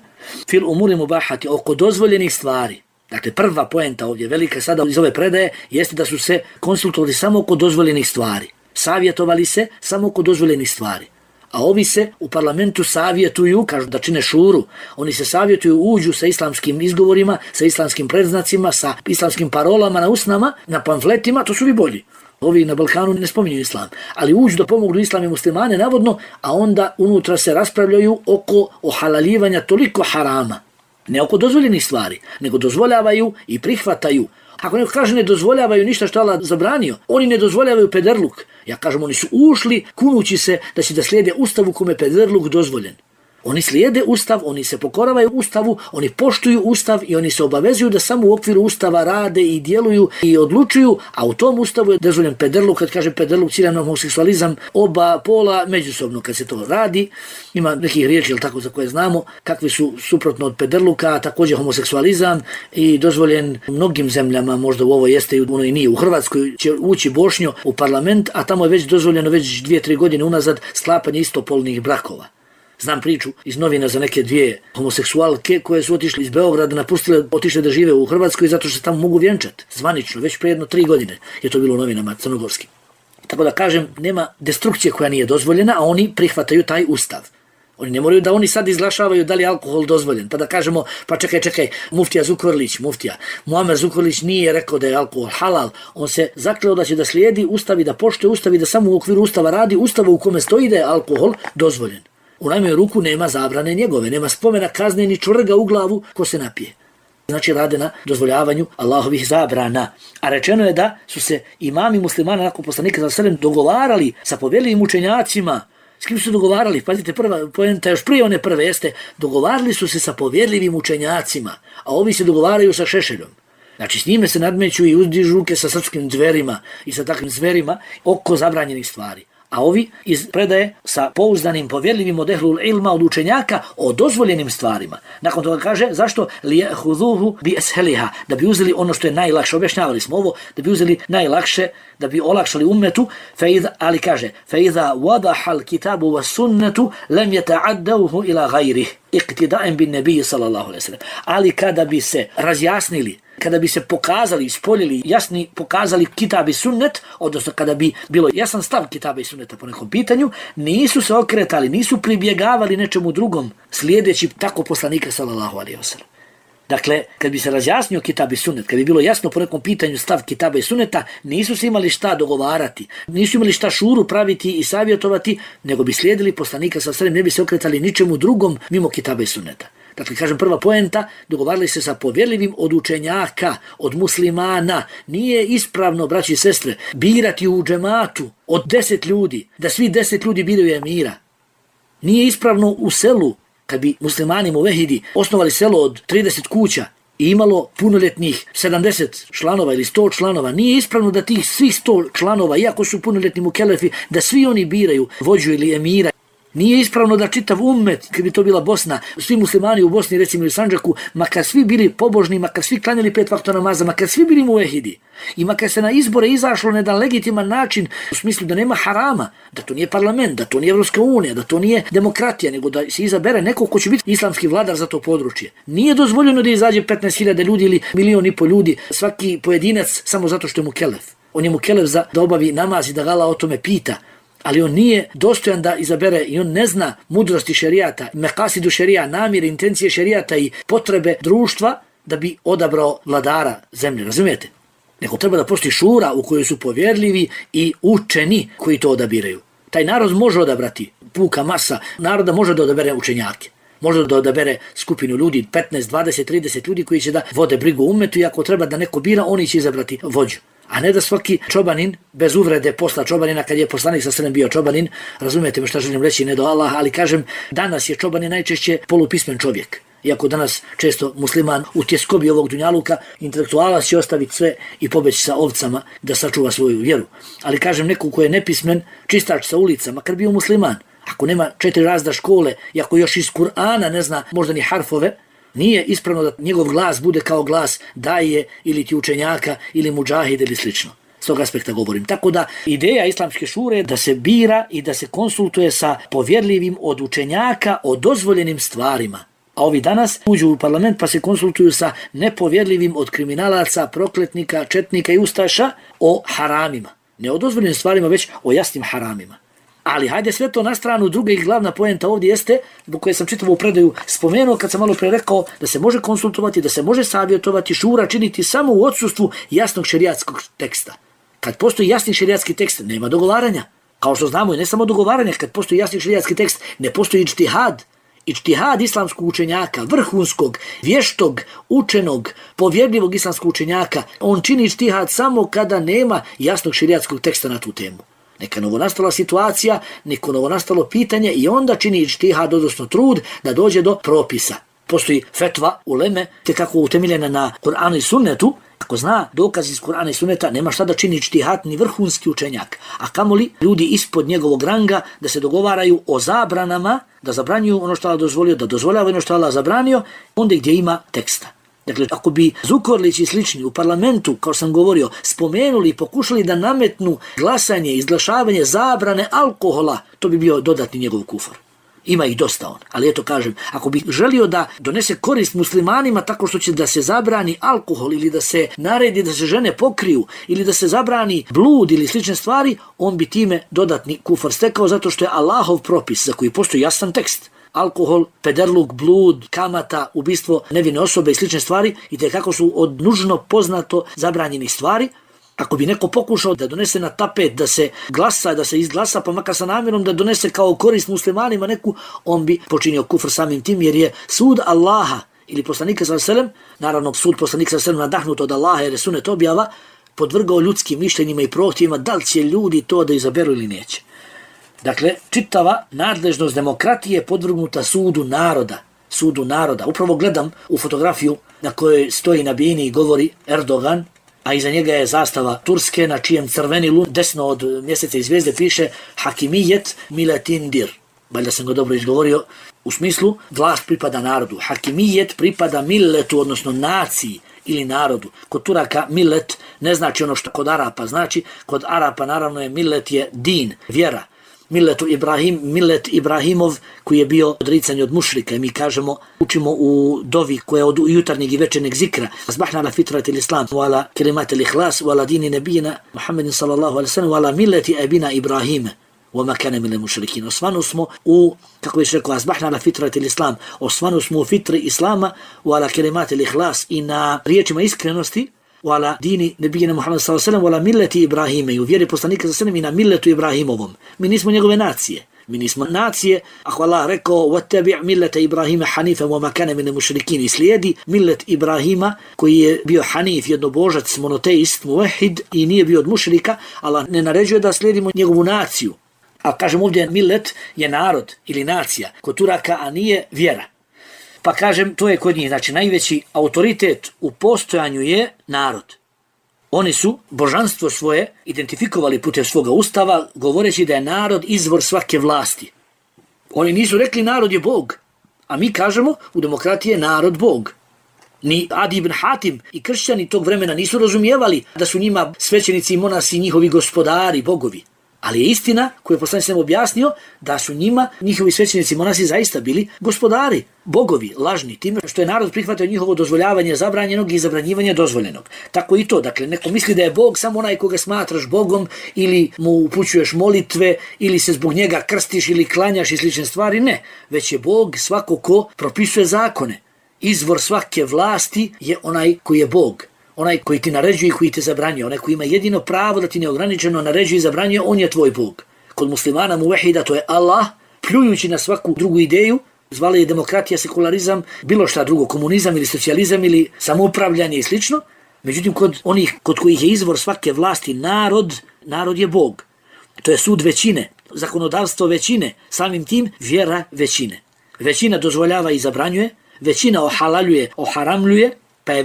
fil umuri mubahati, oko dozvoljenih stvari. Dakle, prva poenta ovdje, velika sada iz ove predaje, jeste da su se konsultovali samo oko dozvoljenih stvari. Savjetovali se samo oko dozvoljenih stvari. A ovi se u parlamentu savjetuju, kažu da čine šuru, oni se savjetuju, uđu sa islamskim izgovorima, sa islamskim predznacima, sa islamskim parolama na usnama, na pamfletima, to su vi bolji. Ovi na Balkanu ne spominju islam, ali uđu da pomognu islam i muslimane, navodno, a onda unutra se raspravljaju oko ohalalivanja toliko harama. Ne oko dozvoljenih stvari, nego dozvoljavaju i prihvataju. Ako neko kaže ne dozvoljavaju ništa što Allah zabranio, oni ne dozvoljavaju pederluk. Ja kažem, oni su ušli kunući se da će da slijede ustavu kome pederluk dozvoljen. Oni slijede ustav, oni se pokoravaju ustavu, oni poštuju ustav i oni se obavezuju da samo u okviru ustava rade i djeluju i odlučuju, a u tom ustavu je dozvoljen pederluk. Kad kaže pederluk, cilja na homoseksualizam, oba pola međusobno kad se to radi. Ima nekih riječi, tako, za koje znamo, kakvi su suprotno od pederluka, također homoseksualizam i dozvoljen u mnogim zemljama, možda u ovo jeste i ono i nije. U Hrvatskoj će ući Bošnjo u parlament, a tamo je već dozvoljeno već 2-3 godine unazad sklapanje istopolnih brakova. Znam priču iz novina za neke dvije homoseksualke koje su otišli iz Beograda, napustile, otišle da žive u Hrvatskoj zato što se tamo mogu vjenčati. Zvanično, već pre 3 godine je to bilo u novinama crnogorskim. Tako da kažem, nema destrukcije koja nije dozvoljena, a oni prihvataju taj ustav. Oni ne moraju da oni sad izglašavaju da li je alkohol dozvoljen. Pa da kažemo, pa čekaj, muftija Zukorlić, Muamer Zukorlić nije rekao da je alkohol halal. On se zakleo da će da slijedi ustav i da poštuje ustav i da samo u okviru ustava radi ustava u kome stoji da je alkohol dozvoljen. U najmanju ruku nema zabrane njegove, nema spomena kazne ni čvrga u glavu ko se napije. Znači rade na dozvoljavanju Allahovih zabrana. A rečeno je da su se imami muslimana nakon poslanika sallallahu alejhi ve sellem dogovarali sa povjerljivim učenjacima. S kim su dogovarali? Pazite, prva poenta, još prije one prve jeste, dogovarali su se sa povjerljivim učenjacima, a ovi se dogovaraju sa Šešeljom. Znači s njime se nadmeću i uzdižu ruke sa srpskim zverima i sa takvim zverima oko zabranjenih stvari. A ovi iz predaje sa pouzdanim povjerljivim od ehlul ilma, od učenjaka o dozvoljenim stvarima. Nakon toga kaže, zašto? Lijehuduhu bi esheliha, da bi uzeli ono što je najlakše, objašnjavali smo ovo, da bi uzeli najlakše, da bi olakšali ummetu, ali kaže, فَإِذَا وَضَحَ الْكِتَابُ وَسُنَّةُ لَمْ يَتَعَدَّوْهُ إِلَى غَيْرِهِ اِقْتِدَاءً بِالنَّبِيِّ sallallahu alejhi ve sellem. Ali kada bi se razjasnili, kada bi se pokazali, ispoljili, jasni pokazali kitab i sunnet, odnosno kada bi bilo jasan stav kitaba i sunneta po nekom pitanju, nisu se okretali, nisu pribjegavali nečemu drugom, slijedeći tako poslanika sallallahu alejhi ve sellem. Dakle, kad bi se razjasnio kitab i sunnet, kad bi bilo jasno po nekom pitanju stav kitaba i sunneta, nisu se imali šta dogovarati, nisu imali šta šuru praviti i savjetovati, nego bi slijedili poslanika sallallahu alejhi ve sellem, ne bi se okretali ničemu drugom mimo kitaba i sunneta. Dakle, kažem, prva poenta, dogovarali se sa povjerljivim od učenjaka, od muslimana. Nije ispravno, braći i sestre, birati u džematu od 10 ljudi, da svi 10 ljudi biraju emira. Nije ispravno u selu, kad bi muslimani muvehidi osnovali selo od 30 kuća i imalo punoljetnih 70 članova ili 100 članova, nije ispravno da tih svih 100 članova, iako su punoljetni mukelefi, da svi oni biraju vođu ili emira. Nije ispravno da čitav ummet, kad bi to bila Bosna, svi muslimani u Bosni, recimo u Sandžaku, makar svi bili pobožni, makar svi klanjali 5 vakta namaza, makar svi bili muvehidi i makar se na izbore izašlo na jedan legitiman način, u smislu da nema harama, da to nije parlament, da to nije Evropska unija, da to nije demokratija, nego da se izabere neko ko će biti islamski vladar za to područje. Nije dozvoljeno da izađe 15.000 ljudi ili 1,5 miliona ljudi, svaki pojedinac samo zato što je mukelef. On je mukelef da obavi namaz i da ga Allah o tome pita. Ali on nije dostojan da izabere i on ne zna mudrosti šerijata, mekasidu šerija, namire, intencije šerijata i potrebe društva da bi odabrao vladara zemlje, razumijete? Nego treba da postoji šura u kojoj su povjerljivi i učeni koji to odabiraju. Taj narod može odabrati, puka masa naroda može da odabere učenjake. Može da odabere skupinu ljudi, 15, 20, 30 ljudi koji će da vode brigu u ummetu i ako treba da neko bira, oni će izabrati vođu. A ne da svaki čobanin, bez uvrede posla čobanina, kad je poslanik sallallahu alejhi ve sellem bio čobanin, razumijete me šta želim reći, ne do Allah, ali kažem, danas je čobanin najčešće polupismen čovjek. Iako danas često musliman u tjeskobi ovog dunjaluka, intelektualac će ostaviti sve i pobeći sa ovcama da sačuva svoju vjeru. Ali kažem, neko ko je nepismen, čistač sa ulica, makar bio musliman, ako nema 4 razda škole i ako još iz Kur'ana ne zna možda ni harfove, nije ispravno da njegov glas bude kao glas daje ili ti učenjaka ili mudžahid ili slično. S tog aspekta govorim. Tako da ideja islamske šure je da se bira i da se konsultuje sa povjerljivim od učenjaka o dozvoljenim stvarima. A ovi danas uđu u parlament pa se konsultuju sa nepovjerljivim od kriminalaca, prokletnika, četnika i ustaša o haramima. Ne o dozvoljenim stvarima, već o jasnim haramima. Ali hajde sve to na stranu, druga i glavna poenta ovdje jeste, zbog koje sam čitavu predaju spomenuo kad sam malo pre rekao da se može konsultovati, da se može savjetovati, šura činiti samo u odsustvu jasnog šerijatskog teksta. Kad postoji jasni šerijatski tekst, nema dogovaranja. Kao što znamo, ne samo dogovaranja, kad postoji jasni šerijatski tekst, ne postoji ijtihad. Ijtihad islamskog učenjaka, vrhunskog, vještog, učenog, povjerljivog islamskog učenjaka, on čini ijtihad samo kada nema jasnog šerijatskog teksta na tu temu. Neka novonastala situacija, neko novonastalo pitanje i onda čini ijtihad, odnosno trud da dođe do propisa. Postoji fetva uleme, te kako utemeljena na Kur'anu i sunnetu, ako zna dokaz iz Kur'ana i sunneta, nema šta da čini ijtihad ni vrhunski učenjak. A kamoli ljudi ispod njegovog ranga da se dogovaraju o zabranama, da zabranjuju ono što Allah dozvolio, da dozvoljava ono što Allah zabranio, onda gdje ima teksta. Dakle, ako bi Zukorlić i slični u parlamentu, kao sam govorio, spomenuli i pokušali da nametnu glasanje, izglašavanje zabrane alkohola, to bi bio dodatni njegov kufar. Ima ih dosta on, ali eto kažem, ako bi želio da donese korist muslimanima tako što će da se zabrani alkohol ili da se naredi da se žene pokriju ili da se zabrani blud ili slične stvari, on bi time dodatni kufar stekao zato što je Allahov propis za koji postoji jasan tekst. Alkohol, pederluk, blud, kamata, ubistvo nevine osobe i slične stvari i tekako su od nužno poznato zabranjenih stvari. Ako bi neko pokušao da donese na tapet, da se glasa, da se izglasa, pa makar sa namjerom da donese kao korist muslimanima neku, on bi počinio kufr samim tim, jer je sud Allaha ili poslanika sallallahu alejhi ve sellem, naravno sud poslanika sallallahu alejhi ve sellem nadahnut od Allaha jer je sunet objava, podvrgao ljudskim mišljenjima i prohtjevima da li će ljudi to da izaberu ili neće. Dakle, čitava nadležnost demokratije je podvrgnuta sudu naroda. Sudu naroda. Upravo gledam u fotografiju na kojoj stoji na bini i govori Erdogan, a iza njega je zastava Turske na čijem crveni lun desno od mjeseca i zvijezde piše Hakimijet Miletindir. Valjda sam ga dobro izgovorio, u smislu vlast pripada narodu. Hakimijet pripada milletu, odnosno naciji ili narodu. Kod Turaka millet ne znači ono što kod Arapa znači. Kod Arapa naravno je millet je din, vjera. Millet Ibrahimov koji je bio odricanje od mušrika. I mi kažemo, učimo u dovi koja je od jutarnjeg i večernjeg zikra. Asbahna ala fitrati l'islam, wa ala kelimati l'ihlas, wa ala dini nebijina Muhammedin sallallahu alaihi sallam, wa ala milleti ebina Ibrahime, wa makane mile mušrikin. Osvanu smo u, kako je rekao, asbahna ala fitrati l'islam, osvanu smo u fitri islama, wa ala kelimati l'ihlas i na riječima iskrenosti, wala dini nebijina Muhammed sallallahu alejhi ve sellem wala milleti Ibrahime i u vjeri poslanika sallallahu alejhi ve sellem i na milletu Ibrahimovom. Mi nismo njegove nacije. Mi nismo nacije, ako Allah rekao wattabi' millete Ibrahima hanifan wa ma kana min al-mushrikin, i slijedi millet Ibrahima koji je bio hanif, jednobožac, monoteist, muvahhid i nije bio od mušrika, Allah ne naređuje da slijedimo njegovu naciju. A kažem ovdje millet je narod ili nacija kod Turaka, a nije vjera. Pa kažem, to je kod njih, znači najveći autoritet u postojanju je narod. Oni su božanstvo svoje identifikovali putem svoga ustava, govoreći da je narod izvor svake vlasti. Oni nisu rekli narod je Bog, a mi kažemo u demokratiji je narod Bog. Ni Adi ibn Hatim i kršćani tog vremena nisu razumijevali da su njima svećenici i monasi njihovi gospodari, bogovi. Ali je istina koju je poslanik sallallahu objasnio da su njima njihovi svećenici monasi zaista bili gospodari, bogovi, lažni, time što je narod prihvatio njihovo dozvoljavanje zabranjenog i zabranjivanje dozvoljenog. Tako i to, dakle, neko misli da je Bog samo onaj koga smatraš Bogom ili mu upućuješ molitve ili se zbog njega krstiš ili klanjaš i slične stvari, ne. Već je Bog svako ko propisuje zakone. Izvor svake vlasti je onaj koji je Bog. Onaj koji ti naređuje i koji te zabranjuje, onaj koji ima jedino pravo da ti neograničeno naređuje i zabranjuje, on je tvoj Bog. Kod muslimana muvahida to je Allah, pljujući na svaku drugu ideju, zvali je demokratija, sekularizam, bilo šta drugo, komunizam ili socijalizam ili samoupravljanje i slično. Međutim, kod onih kod kojih je izvor svake vlasti narod je Bog. To je sud većine, zakonodavstvo većine, samim tim vjera većine. Većina dozvoljava i zabranjuje, većina ohalaljuje, oharamljuje, pa je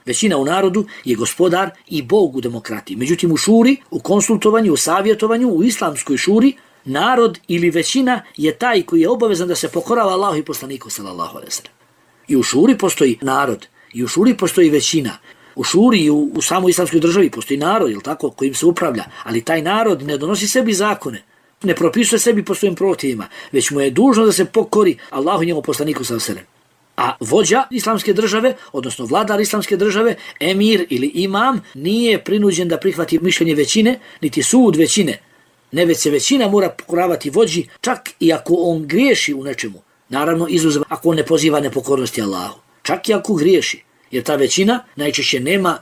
većina u narodu je gospodar i Bog u demokratiji. Međutim, u šuri, u konsultovanju, u savjetovanju, u islamskoj šuri, narod ili većina je taj koji je obavezan da se pokorava Allahu i poslaniku sallallahu alejhi ve sellem. I u šuri postoji narod, i u šuri postoji većina. U šuri i u samoj islamskoj državi postoji narod, jel tako, kojim se upravlja, ali taj narod ne donosi sebi zakone, ne propisuje sebi po svojim protivima, već mu je dužno da se pokori Allahu i njemu poslaniku sallallahu alejhi ve sellem. A vođa islamske države, odnosno vladar islamske države, emir ili imam, nije prinuđen da prihvati mišljenje većine, niti sud većine. Ne, već se većina mora pokoravati vođi, čak i ako on griješi u nečemu. Naravno, izuzev ako on ne poziva nepokornosti Allahu. Čak i ako griješi. Jer ta većina najčešće nema,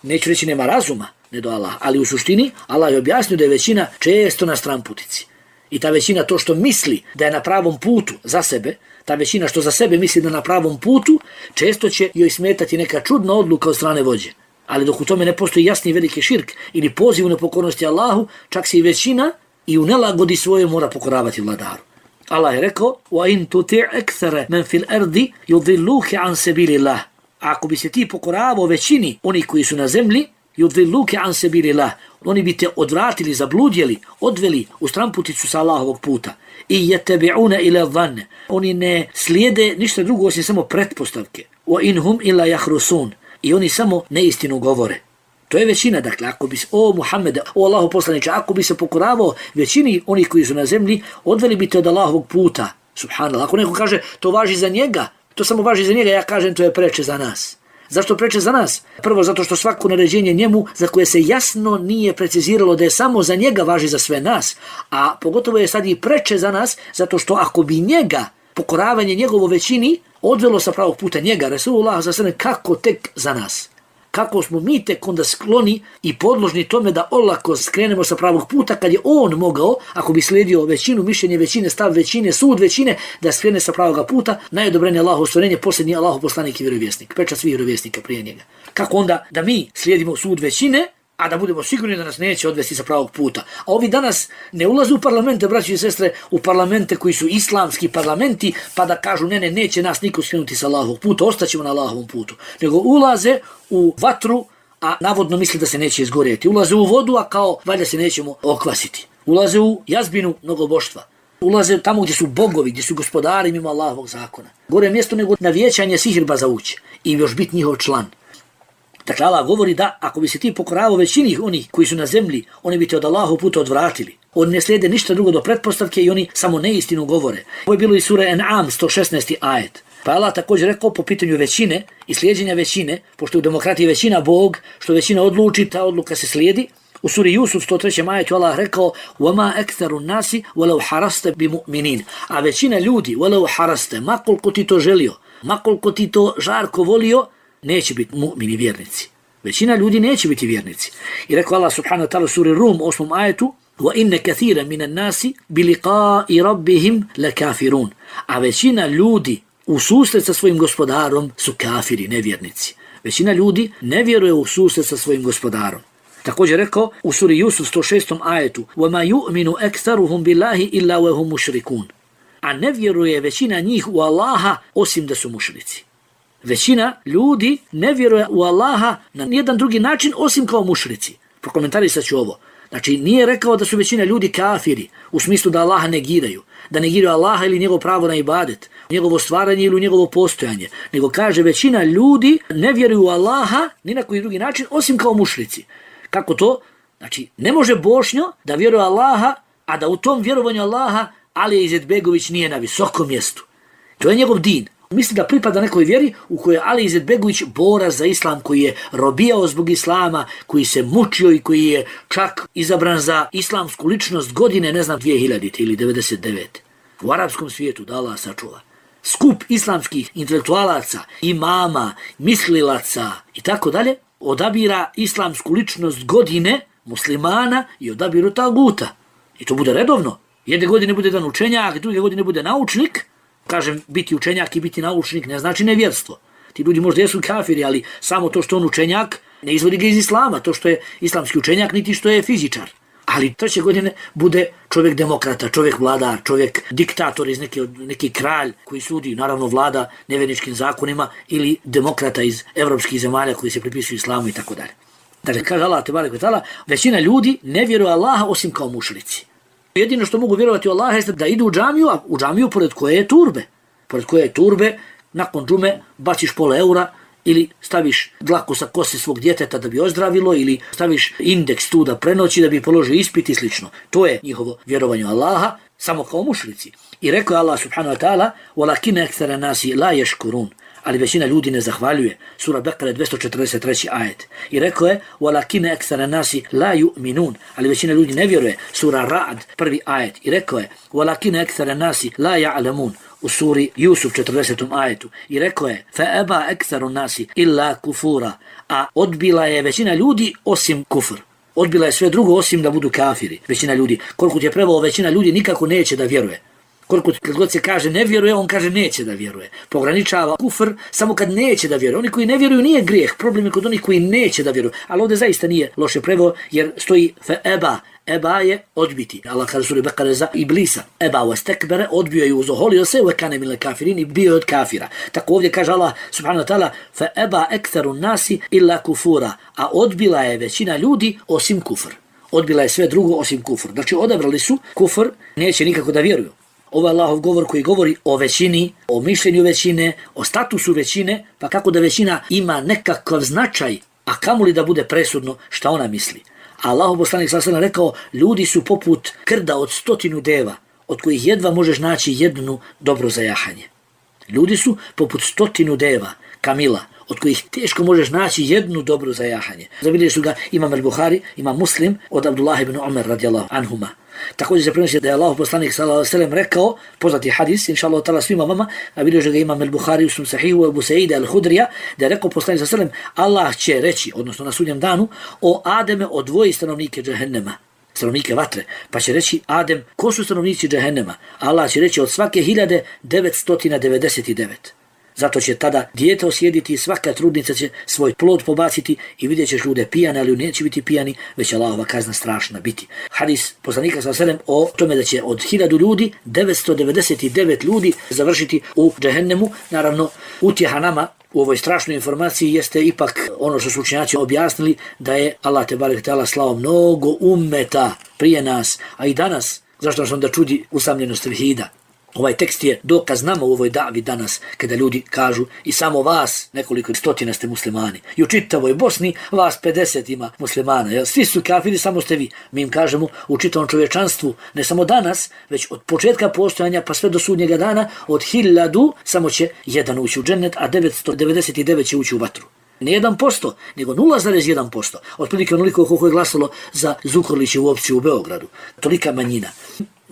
neću reći nema razuma, ne do Allaha. Ali u suštini, Allah je objasnio da je većina često na stranputici. I ta većina to što misli da je na pravom putu za sebe, ta većina što za sebe misli da je na pravom putu, često će joj smetati neka čudna odluka od strane vođe. Ali dok u tome ne postoji jasni veliki širk ili poziv u nepokornosti Allahu, čak se i većina i u nelagodi svoje mora pokoravati vladaru. Allah je rekao: وَإِن تُطِعْ أَكْثَرَ مَنْ فِي الْأَرْضِ يُضِلُّوكَ عَنْ سَبِيلِ اللَّهِ. Ako bi se ti pokoravao većini oni koji su na zemlji, يُضِلُّوكَ عَنْ سَبِيلِ اللَّهِ, oni bi te odvratili, zabludjeli, odveli u stramputicu sa Allahovog puta. I yatabi'una ila dhann, oni ne slijede ništa drugo osim samo pretpostavke. Wa inhum illa yakhrusun, i oni samo neistinu govore. To je većina, dakle, ako bi Muhammede, Allahu poslaniče, ako bi se pokoravao većini onih koji su na zemlji, odveli bi te od Allahovog puta, Subhanallah. Ako neko kaže to važi za njega, to samo važi za njega, ja kažem to je preče za nas. Zašto preče za nas? Prvo zato što svako naređenje njemu za koje se jasno nije preciziralo da je samo za njega važi za sve nas, a pogotovo je sad i preče za nas zato što ako bi njega, pokoravanje njegovo većini, odvelo sa pravog puta njega, Resulullah s.a.v. kako tek za nas? Kako smo mi tek onda skloni i podložni tome da olako skrenemo sa pravog puta kad je on mogao, ako bi slijedio većinu, mišljenje većine, stav većine, sud većine, da skrene sa pravog puta, najodobrenije Allahovo stvorenje, posljednji Allahov poslanik i vjerovjesnik, pečat svih vjerovjesnika prije njega. Kako onda da mi slijedimo sud većine, a da budemo sigurni da nas neće odvesti sa pravog puta. A ovi danas ne ulaze u parlamente, braći i sestre, u parlamente koji su islamski parlamenti, pa da kažu ne, neće nas niko skrenuti sa Allahovog puta, ostaćemo na Allahovom putu. Nego ulaze u vatru, a navodno misli da se neće izgorjeti. Ulaze u vodu, a kao valjda se nećemo okvasiti. Ulaze u jazbinu mnogoboštva. Ulaze tamo gdje su bogovi, gdje su gospodari mimo Allahovog zakona. Gore mjesto nego na vijećanje sihirba za ući i još biti njihov član. Dakle, Allah govori da ako bi se ti pokoravao većini onih koji su na zemlji, oni bi te od Allahovog puta odvratili. Oni ne slijede ništa drugo do pretpostavke i oni samo neistinu govore. Ovo je bilo i sura En'am 116. ajet. Pa Allah također rekao po pitanju većine i slijedjenja većine, pošto u demokratiji većina Bog, što većina odluči, ta odluka se slijedi. U suri Jusuf 103. ajetu Allah rekao وَمَا أَكْثَرُ النَّاسِ وَلَوْ حَرَسْتَ بِمُؤْمِنِينَ. A većina ljudi, وَلَوْ حَرَسْتَ, makoliko ti to želio, makoliko ti to žarko volio, neće biti mu'mini vjernici. Većina ljudi neće biti vjernici. I rekao Allah subhanahu wa ta'ala u suri Rum 8. ajetu وَإِنَّ كَثِيرًا مِنَ النَّاسِ بِلِقَاءِ رَبِّهِمْ لَكَافِرُونَ. A većina ljudi u susret sa svojim gospodarom su kafiri, nevjernici. Većina ljudi ne vjeruje u susret sa svojim gospodarom. Također rekao u suri Jusuf 106. ajetu وَمَا يُؤْمِنُ أَكْثَرُهُمْ بِاللَّهِ إِلَّا وَهُمْ مُشْرِكُونَ. A ne vjeruje većina njih u Allaha osim da su mušrici. Većina ljudi ne vjeruje u Allaha na nijedan drugi način osim kao mušrici. Prokomentarisat ću ovo. Znači, nije rekao da su većina ljudi kafiri, u smislu da Allaha negiraju, da negiraju Allaha ili njegovo pravo na ibadet, njegovo stvaranje ili njegovo postojanje, nego kaže većina ljudi ne vjeruju u Allaha ni na koji drugi način osim kao mušrici. Kako to? Znači, ne može Bošnjo da vjeruje Allaha, a da u tom vjerovanju Allaha Alija Izetbegović nije na visokom mjestu. To je njegov din. Misli da pripada nekoj vjeri u kojoj je Ali Izetbegović borac za islam, koji je robijao zbog islama, koji se mučio i koji je čak izabran za islamsku ličnost godine, ne znam, 2000 ili 99. U arapskom svijetu, da Allah sačuva. Skup islamskih intelektualaca, imama, mislilaca i tako dalje, odabira islamsku ličnost godine muslimana i odabiru taguta. I to bude redovno. Jedne godine bude dan učenjak, druge godine bude naučnik. Kažem, biti učenjak i biti naučnik ne znači nevjerstvo. Ti ljudi možda jesu kafiri, ali samo to što on učenjak ne izvodi ga iz islama, to što je islamski učenjak, niti što je fizičar. Ali treće godine bude čovjek demokrata, čovjek vladar, čovjek diktator iz neki kralj koji sudi, naravno vlada nevjerničkim zakonima, ili demokrata iz evropskih zemalja koji se pripisuju islamu i tako dalje. Dakle, kaže Allah tebareke ve taala, većina ljudi ne vjeruje Allaha osim kao mušrici. Jedino što mogu vjerovati u Allaha jeste da idu u džamiju, a u džamiju pored koje je turbe. Pored koje je turbe, nakon džume baciš pola eura ili staviš dlaku sa kose svog djeteta da bi ozdravilo ili staviš indeks tu da prenoći da bi položio ispit i slično. To je njihovo vjerovanje u Allaha, samo kao mušrici. I rekao je Allah subhanahu wa ta'ala وَلَكِنَ أَكْثَرَ النَّاسِ لَا يَشْكُرُونَ. Ali većina ljudi ne zahvaljuje. Sura Bekare 243. ajet. I rekao je وَلَكِنَ أَكْثَرَ النَّاسِ لَا يُؤْمِنُونَ. Ali većina ljudi ne vjeruje. Sura Ra'd 1. ajet. I rekao je وَلَكِنَ أَكْثَرَ النَّاسِ لَا يَعْلَمُونَ. U suri Jusuf 40. ajetu. I rekao je فَأَبَا أَكْثَرُ النَّاسِ إِلَّا كُفُورًا. A odbila je većina ljudi osim kufr. Odbila je sve drugo osim da budu kafiri. Većina ljudi. Koliko ti je prevao, većina ljudi nikako neće da vjeruje. Koliko kad god se kaže ne vjeruje, on kaže neće da vjeruje. Pograničava kufr samo kad neće da vjeruje. Oni koji ne vjeruju nije grijeh, problem je kod onih koji neće da vjeruju. Ali ovdje zaista nije loše preveo jer stoji eba. Eba je odbiti. Allah kaže suri Bekare za Iblisa. Eba wastakbara, odbio je, uzoholio se, wa kana minal kafirin, i bio je od kafira. Tako ovdje kaže Allah subhanahu wa ta'ala fa eba aktharu nasi illa kufura. A odbila je većina ljudi osim kufr. Odbila je sve drugo osim kufr. Znači odabrali su kufr, neće nikako da vjeruju. Ovo je Allahov govor koji govori o većini, o mišljenju većine, o statusu većine, pa kako da većina ima nekakav značaj, a kamoli da bude presudno šta ona misli. A Allahov poslanik sallallahu alejhi ve sellem rekao, ljudi su poput krda od 100 deva. od kojih jedva možeš naći jednu dobro za jahanje. Ljudi su poput 100 deva, kamila, od kojih teško možeš naći jednu dobru za jahanje. Zabilježili su ga Imam al-Buhari, Imam Muslim od Abdullah ibn Umar radijallahu anhuma. Također se prenosi da je Allahu poslanik sallallahu alejhi ve sellem rekao, poznati hadis, inshallah ta'ala svima vama, a bilježi ga Imam al-Buhari u svom sahihu Abu Sa'ida al-Hudrija, da je rekao poslanik sallallahu alejhi ve sellem, Allah će reći, odnosno na sudnjem danu, o Ademe odvoji stanovnike džehennema, stanovnike vatre, pa će reći Adem, ko su stanovnici džehennema? Allah će reći od svake 1999. Zato će tada dijete osjediti i svaka trudnica će svoj plod pobaciti i vidjet ćeš ljude pijane, ali neće biti pijani, već Allahova kazna strašna biti. Hadis poslanika sallallahu alejhi ve sellem o tome da će od 1000 ljudi 999 ljudi završiti u džehennemu. Naravno, utjeha nama u ovoj strašnoj informaciji jeste ipak ono što su učenjaci objasnili, da je Allah tebarek ve teala slao mnogo ummeta prije nas, a i danas. Zašto nas onda čudi usamljenost tevhida? Ovaj tekst je dokaz nama u ovoj davi danas, kada ljudi kažu i samo vas nekoliko stotina ste muslimani. I u čitavoj Bosni vas 50 ima muslimana. Jel? Svi su kafiri, samo ste vi. Mi im kažemo u čitavom čovječanstvu, ne samo danas, već od početka postojanja pa sve do sudnjega dana, od 1000 samo će jedan ući u džennet, a 999 će ući u vatru. Ne 1%, nego 0,1%. Otprilike onoliko koliko je glasalo za Zukorlićevu opciju u Beogradu. Tolika manjina.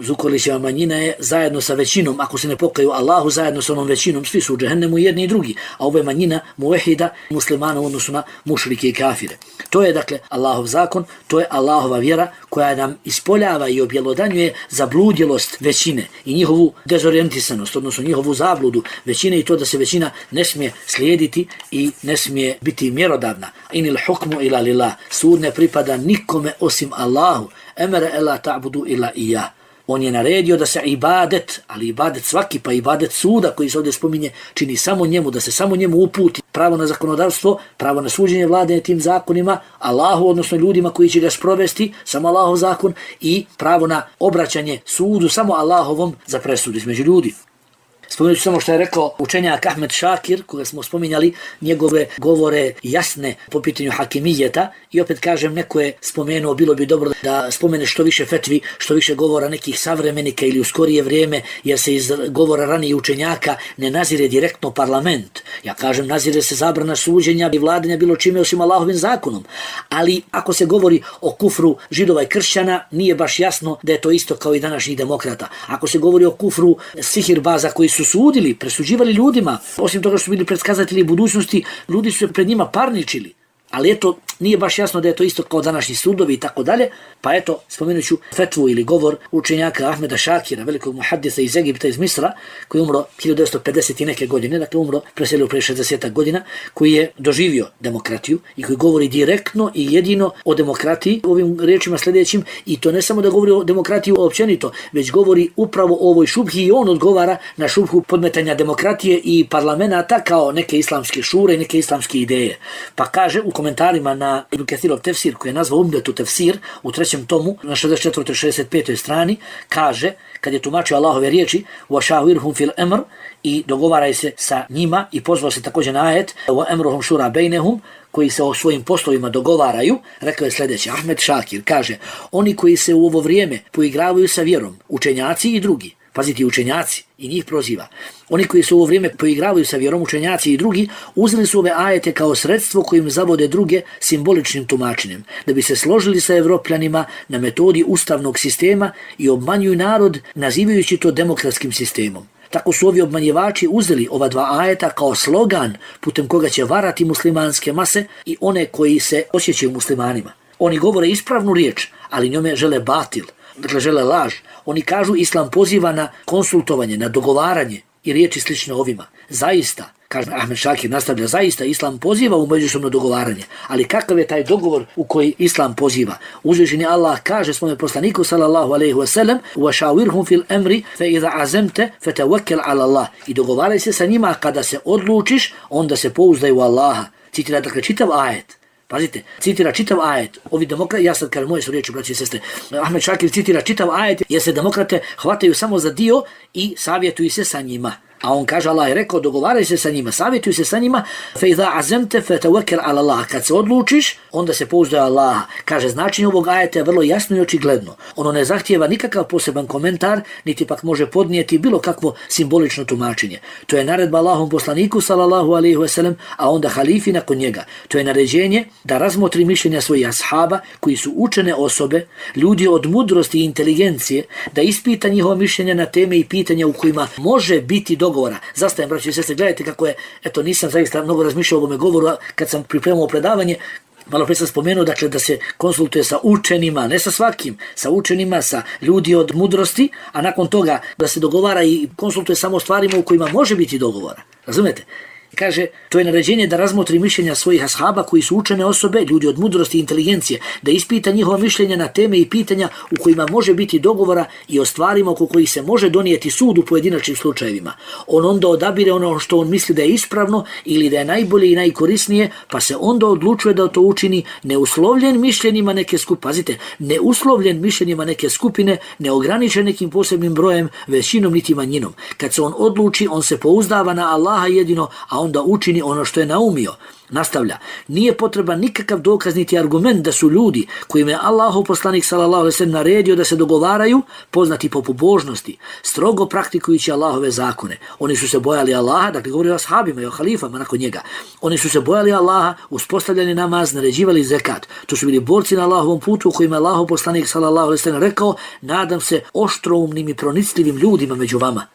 Zukorlićeva manjina je zajedno sa većinom, ako se ne pokaju Allahu, zajedno sa onom većinom, svi su u džehennemu jedni i drugi, a ovo je manjina muvehida muslimana u odnosu na mušrike i kafire. To je dakle Allahov zakon, to je Allahova vjera koja nam ispoljava i objelodanjuje zabludjelost većine i njihovu dezorijentisanost, odnosno njihovu zabludu većine i to da se većina ne smije slijediti i ne smije biti mjerodavna. Inil hukmu ila lillah, sud ne pripada nikome osim Allahu, emere ela ta'budu ila ija. On je naredio da se ibadet, ali ibadet svaki, pa ibadet suda koji se ovdje spominje, čini samo njemu, da se samo njemu uputi pravo na zakonodavstvo, pravo na suđenje vladanja tim zakonima, Allahu, odnosno ljudima koji će ga sprovesti, samo Allahov zakon, i pravo na obraćanje sudu, samo Allahovom za presudu između ljudi. Spomenut ću samo što je rekao učenjak Ahmed Šakir, koga smo spominjali, njegove govore jasne po pitanju hakimijeta, i opet kažem, neko je spomenuo, bilo bi dobro da spomene što više fetvi, što više govora nekih savremenika ili u skorije vrijeme, jer se iz govora ranije učenjaka ne nazire direktno parlament. Ja kažem, nazire se zabrana suđenja i vladanja bilo čime osim Allahovim zakonom. Ali ako se govori o kufru židova i kršćana, nije baš jasno da je to isto kao i današnjih demokrata. Ako se govori o kufru sihirbaza koji su sudili, presuđivali ljudima, osim toga što su bili predskazatelji budućnosti, ljudi su se pred njima parničili. Ali eto, nije baš jasno da je to isto kao današnji sudovi i tako dalje, pa eto, spomenut ću fetvu ili govor učenjaka Ahmeda Šakira, velikog muhaddisa iz Egipta, iz Misra, koji je umro 1950 i neke godine, dakle umro, preselio pre 60 godina, koji je doživio demokratiju i koji govori direktno i jedino o demokratiji, ovim riječima sljedećim, i to ne samo da govori o demokratiji općenito, već govori upravo o ovoj šubhi i on odgovara na šubhu podmetanja demokratije i parlamenta kao neke islamske šure i neke islamske ideje. Pa kaže u komentarima na Ibn Kathirov tefsir, koji je nazvao Umdetu tefsir, u 3. tomu, na 64. 65. strani, kaže, kad je tumačio Allahove riječi, وَشَاوِرْهُمْ فِي الْأَمْرِ, i dogovaraj se sa njima, i pozvao se također na ajet, وَأَمْرُهُمْ شُورَ بَيْنَهُمْ, koji se o svojim poslovima dogovaraju, rekao je sljedeće, Ahmed Šakir kaže, oni koji se u ovo vrijeme poigravaju sa vjerom, učenjaci i drugi, pazite, učenjaci, i njih proziva. Oni koji se u ovo vrijeme poigravaju sa vjerom, učenjaci i drugi, uzeli su ove ajete kao sredstvo kojim zavode druge simboličnim tumačenjem, da bi se složili sa Evropljanima na metodi ustavnog sistema i obmanjuju narod nazivajući to demokratskim sistemom. Tako su ovi obmanjivači uzeli ova dva ajeta kao slogan putem koga će varati muslimanske mase i one koji se osjećaju muslimanima. Oni govore ispravnu riječ, ali njome žele batil. Dakle, žele laž. Oni kažu islam poziva na konsultovanje, na dogovaranje i riječi slične ovima. Zaista, kaže Ahmed Šakir, nastavlja, zaista islam poziva u međusobno dogovaranje. Ali kakav je taj dogovor u koji islam poziva? Uzvišeni Allah kaže svome poslaniku sallallahu alejhi ve sellem: "Wa fil amri fa idha azamta fatawakkal ala Allah." I dogovaraj se sa njima, kada se odlučiš, onda se pouzdaj u Allaha. Citira dakle čitav ajet. Pazite, citira čitav ajet. Ovi demokrati, ja sad kažem, moje su riječi, braći i sestre, Ahmed Šakir citira čitav ajet jer se demokrate hvataju samo za dio i savjetuju se sa njima. A on kaže, Allah je rekao, dogovaraj se sa njima, savjetuj se sa njima, fe iza azemte fe tawakkal ala Allah. Kad se odlučiš, onda se pouzdaj Allaha. Kaže, značenje ovog ajeta je vrlo jasno i očigledno. Ono ne zahtijeva nikakav poseban komentar, niti pak može podnijeti bilo kakvo simbolično tumačenje. To je naredba Allahom poslaniku, sallallahu alejhi ve sellem, a onda halifi nakon njega. To je naređenje da razmotri mišljenja svojih ashaba, koji su učene osobe, ljudi od mudrosti i inteligencije, da ispita njihova mišljenja na teme i pitanja u kojima može biti dogovora. Zastajem, braći i sestre, gledajte kako je, nisam zaista mnogo razmišljao o ovome govoru, kad sam pripremao predavanje, malo prije sam spomenuo, dakle, da se konsultuje sa učenima, ne sa svakim, sa učenima, sa ljudi od mudrosti, a nakon toga da se dogovara i konsultuje samo o stvarima u kojima može biti dogovora. Razumete? Kaže, to je naređenje da razmotri mišljenja svojih ashaba koji su učene osobe, ljudi od mudrosti i inteligencije, da ispita njihova mišljenja na teme i pitanja u kojima može biti dogovora i o stvarima oko kojih se može donijeti sud u pojedinačnim slučajevima. On onda odabire ono što on misli da je ispravno ili da je najbolje i najkorisnije, pa se onda odlučuje da to učini neuslovljen mišljenjima neke skupine. Pazite, neuslovljen mišljenjima neke skupine, neograničen nekim posebnim brojem, većinom niti manjinom. Kad se on odluči, on se pouzdava na Allaha jedino, a onda učini ono što je naumio. Nastavlja, nije potreban nikakav dokaz niti argument da su ljudi kojima je Allahov poslanik sallallahu alejhi ve sellem naredio da se dogovaraju, poznati po pobožnosti, strogo praktikujući Allahove zakone. Oni su se bojali Allaha, dakle govori o ashabima i o halifama nakon njega. Oni su se bojali Allaha, uspostavljali namaz, naređivali zekat. To su bili borci na Allahovom putu u kojima je Allahov poslanik sallallahu alejhi ve sellem rekao, nadam se oštroumnim i pronicljivim ljudima među vama.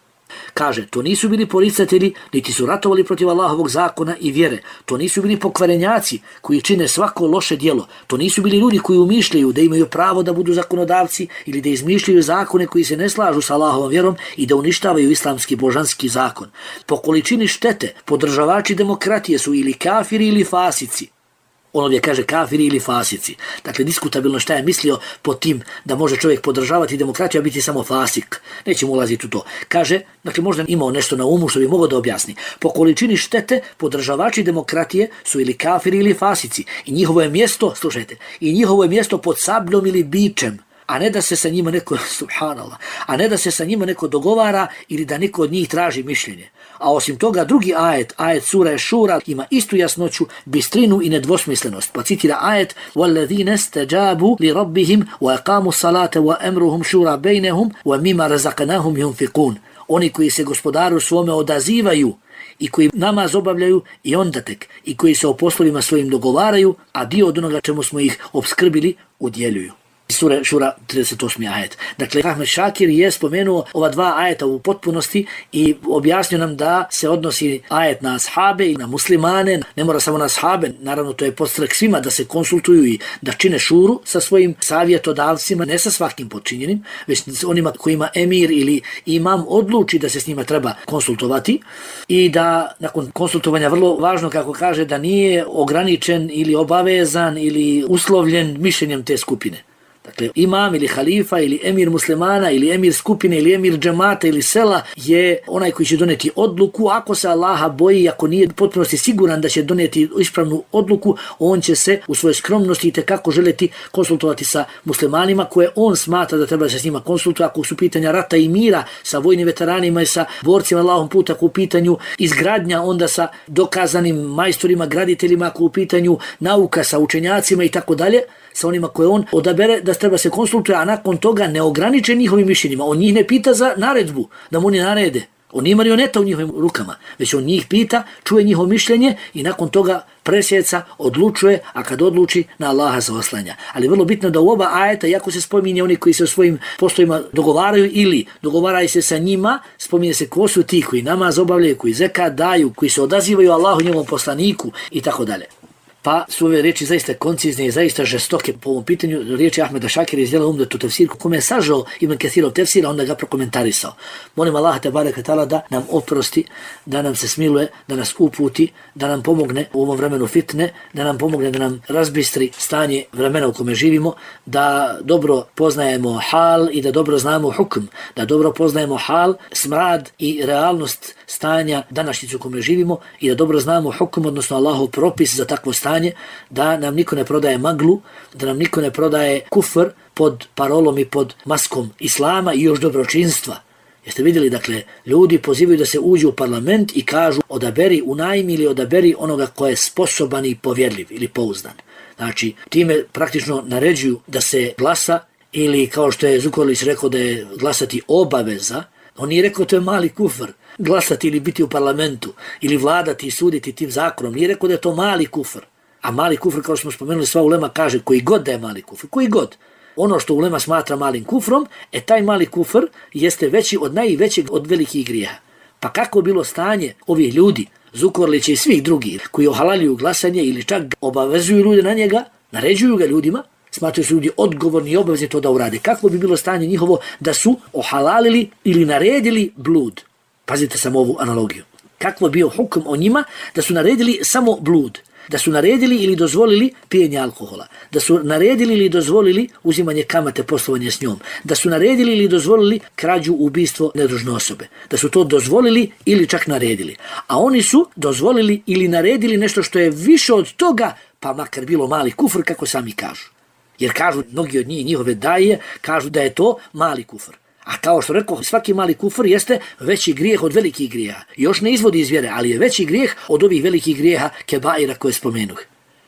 Kaže, to nisu bili poricatelji, niti su ratovali protiv Allahovog zakona i vjere. To nisu bili pokvarenjaci koji čine svako loše djelo. To nisu bili ljudi koji umišljaju da imaju pravo da budu zakonodavci ili da izmišljaju zakone koji se ne slažu sa Allahovom vjerom i da uništavaju islamski božanski zakon. Po količini štete podržavači demokratije su ili kafiri ili fasici. On ovdje kaže kafiri ili fasici. Dakle, diskutabilno šta je mislio pod tim da može čovjek podržavati demokratiju, a biti samo fasik. Nećemo ulaziti u to. Kaže, dakle, možda imao nešto na umu što bi mogao da objasni. Po količini štete podržavači demokratije su ili kafiri ili fasici. I njihovo je mjesto, slušajte, i njihovo je mjesto pod sabljom ili bičem. A ne da se sa njima neko, subhanallah, a ne da se sa njima neko dogovara ili da neko od njih traži mišljenje. A osim toga, drugi ajet sura Šura, ima istu jasnoću, bistrinu i nedvosmislenost. Pa citira ajet وَالَّذِينَ اسْتَجَابُوا لِرَبِّهِمْ وَأَقَامُوا الصَّلَاةَ وَأَمْرُهُمْ شُورَى بَيْنَهُمْ وَمِمَّا رَزَقْنَاهُمْ يُنْفِقُونَ. Oni koji se gospodaru svome odazivaju i koji namaz obavljaju i onda tek, i koji se o poslovima svojim dogovaraju, a dio od onoga čemu smo ih opskrbili udjeljuju. Sura Šura 38. ajet. Dakle, Ahmed Šakir je spomenuo ova dva ajeta u potpunosti i objasnio nam da se odnosi ajet na ashabe i na muslimane, ne mora samo na ashabe, naravno to je podstrek svima da se konsultuju i da čine šuru sa svojim savjetodavcima, ne sa svakim počinjenim, već s onima kojima emir ili imam odluči da se s njima treba konsultovati i da nakon konsultovanja vrlo važno, kako kaže, da nije ograničen ili obavezan ili uslovljen mišljenjem te skupine. Dakle, imam ili halifa ili emir muslimana ili emir skupine ili emir džemata ili sela je onaj koji će doneti odluku. Ako se Allaha boji, ako nije potpunosti siguran da će doneti ispravnu odluku, on će se u svojoj skromnosti itekako želeti konsultovati sa muslimanima koje on smatra da treba se s njima konsultovati. Ako su pitanja rata i mira sa vojnim veteranima i sa borcima Allahom puta, ako u pitanju izgradnja, onda sa dokazanim majstorima, graditeljima, ako u pitanju nauka sa učenjacima i tako dalje, sa onima koje on odabere da treba se konsultuje, a nakon toga ne ograniče njihovim mišljenjima. On njih ne pita za naredbu, da mu oni narede. On nije marioneta u njihovim rukama, već on njih pita, čuje njihovo mišljenje i nakon toga presjeca, odlučuje, a kad odluči, na Allaha se oslanja. Ali vrlo bitno da u oba ajeta, jako se spominje oni koji se u svojim poslovima dogovaraju ili dogovaraju se sa njima, spominje se ko su ti koji namaz obavljaju, koji zekat daju, koji se odazivaju Allahu njegovom poslaniku i tako dalje. Pa su ove riječi zaista koncizne i zaista žestoke po ovom pitanju. Riječi Ahmeda Šakira izdjela umdetu tefsirku kome je sažao Ibn Kathirov tefsira, onda ga prokomentarisao. Molim Allaha te bareke ve taala da nam oprosti, da nam se smiluje, da nas uputi, da nam pomogne u ovom vremenu fitne, da nam pomogne da nam razbistri stanje vremena u kome živimo, da dobro poznajemo hal i da dobro znamo hukm, da dobro poznajemo hal, smrad i realnost stanja današnjicu u kome živimo i da dobro znamo hukm, odnosno Allahov propis za takvo stanje, da nam niko ne prodaje maglu, da nam niko ne prodaje kufr pod parolom i pod maskom islama i još dobročinstva. Jeste vidjeli, dakle, ljudi pozivaju da se uđu u parlament i kažu odaberi, unajmi ili odaberi onoga ko je sposoban i povjerljiv ili pouzdan. Znači, time praktično naređuju da se glasa ili kao što je Zukorlić rekao da je glasati obaveza, on nije rekao to je mali kufr, glasati ili biti u parlamentu ili vladati i suditi tim zakonom, nije rekao da je to mali kufr. A mali kufr, kao što smo spomenuli, sva ulema kaže koji god da je mali kufr, koji god. Ono što ulema smatra malim kufrom, taj mali kufr jeste veći od najvećeg od velikih grijeha. Pa kako je bilo stanje ovih ljudi, Zukorlića i svih drugih, koji ohalaljuju glasanje ili čak obavezuju ljude na njega, naređuju ga ljudima, smatraju su ljudi odgovorni i obavezni to da urade. Kako bi bilo stanje njihovo da su ohalalili ili naredili blud? Pazite samo ovu analogiju. Kako je bio hukum o njima da su naredili samo blud? Da su naredili ili dozvolili pijenje alkohola, da su naredili ili dozvolili uzimanje kamate, poslovanje s njom, da su naredili ili dozvolili krađu, ubistvo nedužne osobe, da su to dozvolili ili čak naredili. A oni su dozvolili ili naredili nešto što je više od toga, pa makar bilo mali kufr, kako sami kažu. Jer kažu, mnogi od njih, njihove daje, kažu da je to mali kufr. A kao što rekao, svaki mali kufr jeste veći grijeh od velikih grijeha. Još ne izvodi iz vjere, ali je veći grijeh od ovih velikih grijeha kebaira koje spomenuh.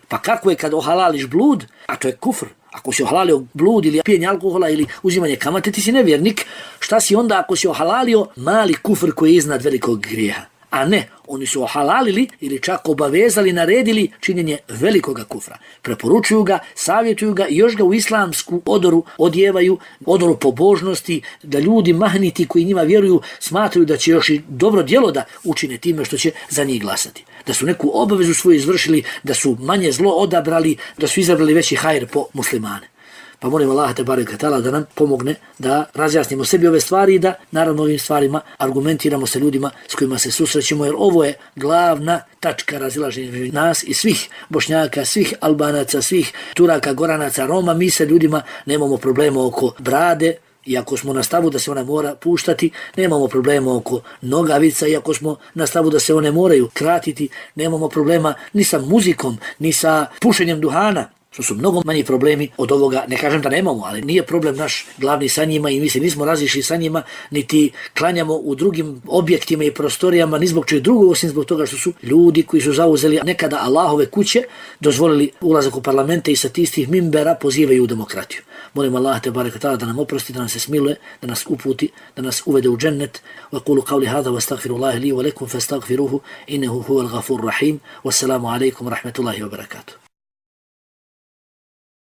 Pa kako je kad ohalališ blud, a to je kufr, ako si ohalalio blud ili pijenje alkohola ili uzimanje kamate, ti si nevjernik, šta si onda ako si ohalalio mali kufr koji je iznad velikog grijeha? A ne, oni su ohalalili ili čak obavezali, naredili činjenje velikoga kufra. Preporučuju ga, savjetuju ga i još ga u islamsku odoru odjevaju, odoru pobožnosti, da ljudi mahniti koji njima vjeruju smatraju da će još i dobro djelo da učine time što će za njih glasati. Da su neku obavezu svoju izvršili, da su manje zlo odabrali, da su izabrali veći hajr po muslimane. Pa molim Allaha tebareke ve taala da nam pomogne da razjasnimo sebi ove stvari i da naravno ovim stvarima argumentiramo sa ljudima s kojima se susrećemo, jer ovo je glavna tačka razilaženja između nas i svih Bošnjaka, svih Albanaca, svih Turaka, Goranaca, Roma. Mi sa ljudima nemamo problema oko brade, iako smo na stavu da se ona mora puštati, nemamo problema oko nogavica, iako smo na stavu da se one moraju kratiti, nemamo problema ni sa muzikom, ni sa pušenjem duhana, što su mnogo manji problemi od ovoga. Ne kažem da nemamo, ali nije problem naš glavni sa njima i mi se nismo razišli sa njima, niti klanjamo u drugim objektima i prostorijama, ni zbog čega drugog, osim zbog toga što su ljudi koji su zauzeli nekada Allahove kuće, dozvolili ulazak u parlamente i sa tistih mimbera pozivaju u demokratiju. Molim Allah tebareke ve taala da nam oprosti, da nam se smiluje, da nas uputi, da nas uvede u džennet. Wa qulu qawli hadha wastaghfirullaha li wa lakum fastaghfiruhu innahu huwal ghafurur rahim. Wassalamu alaikum wa rahmatullahi wa barakatuh.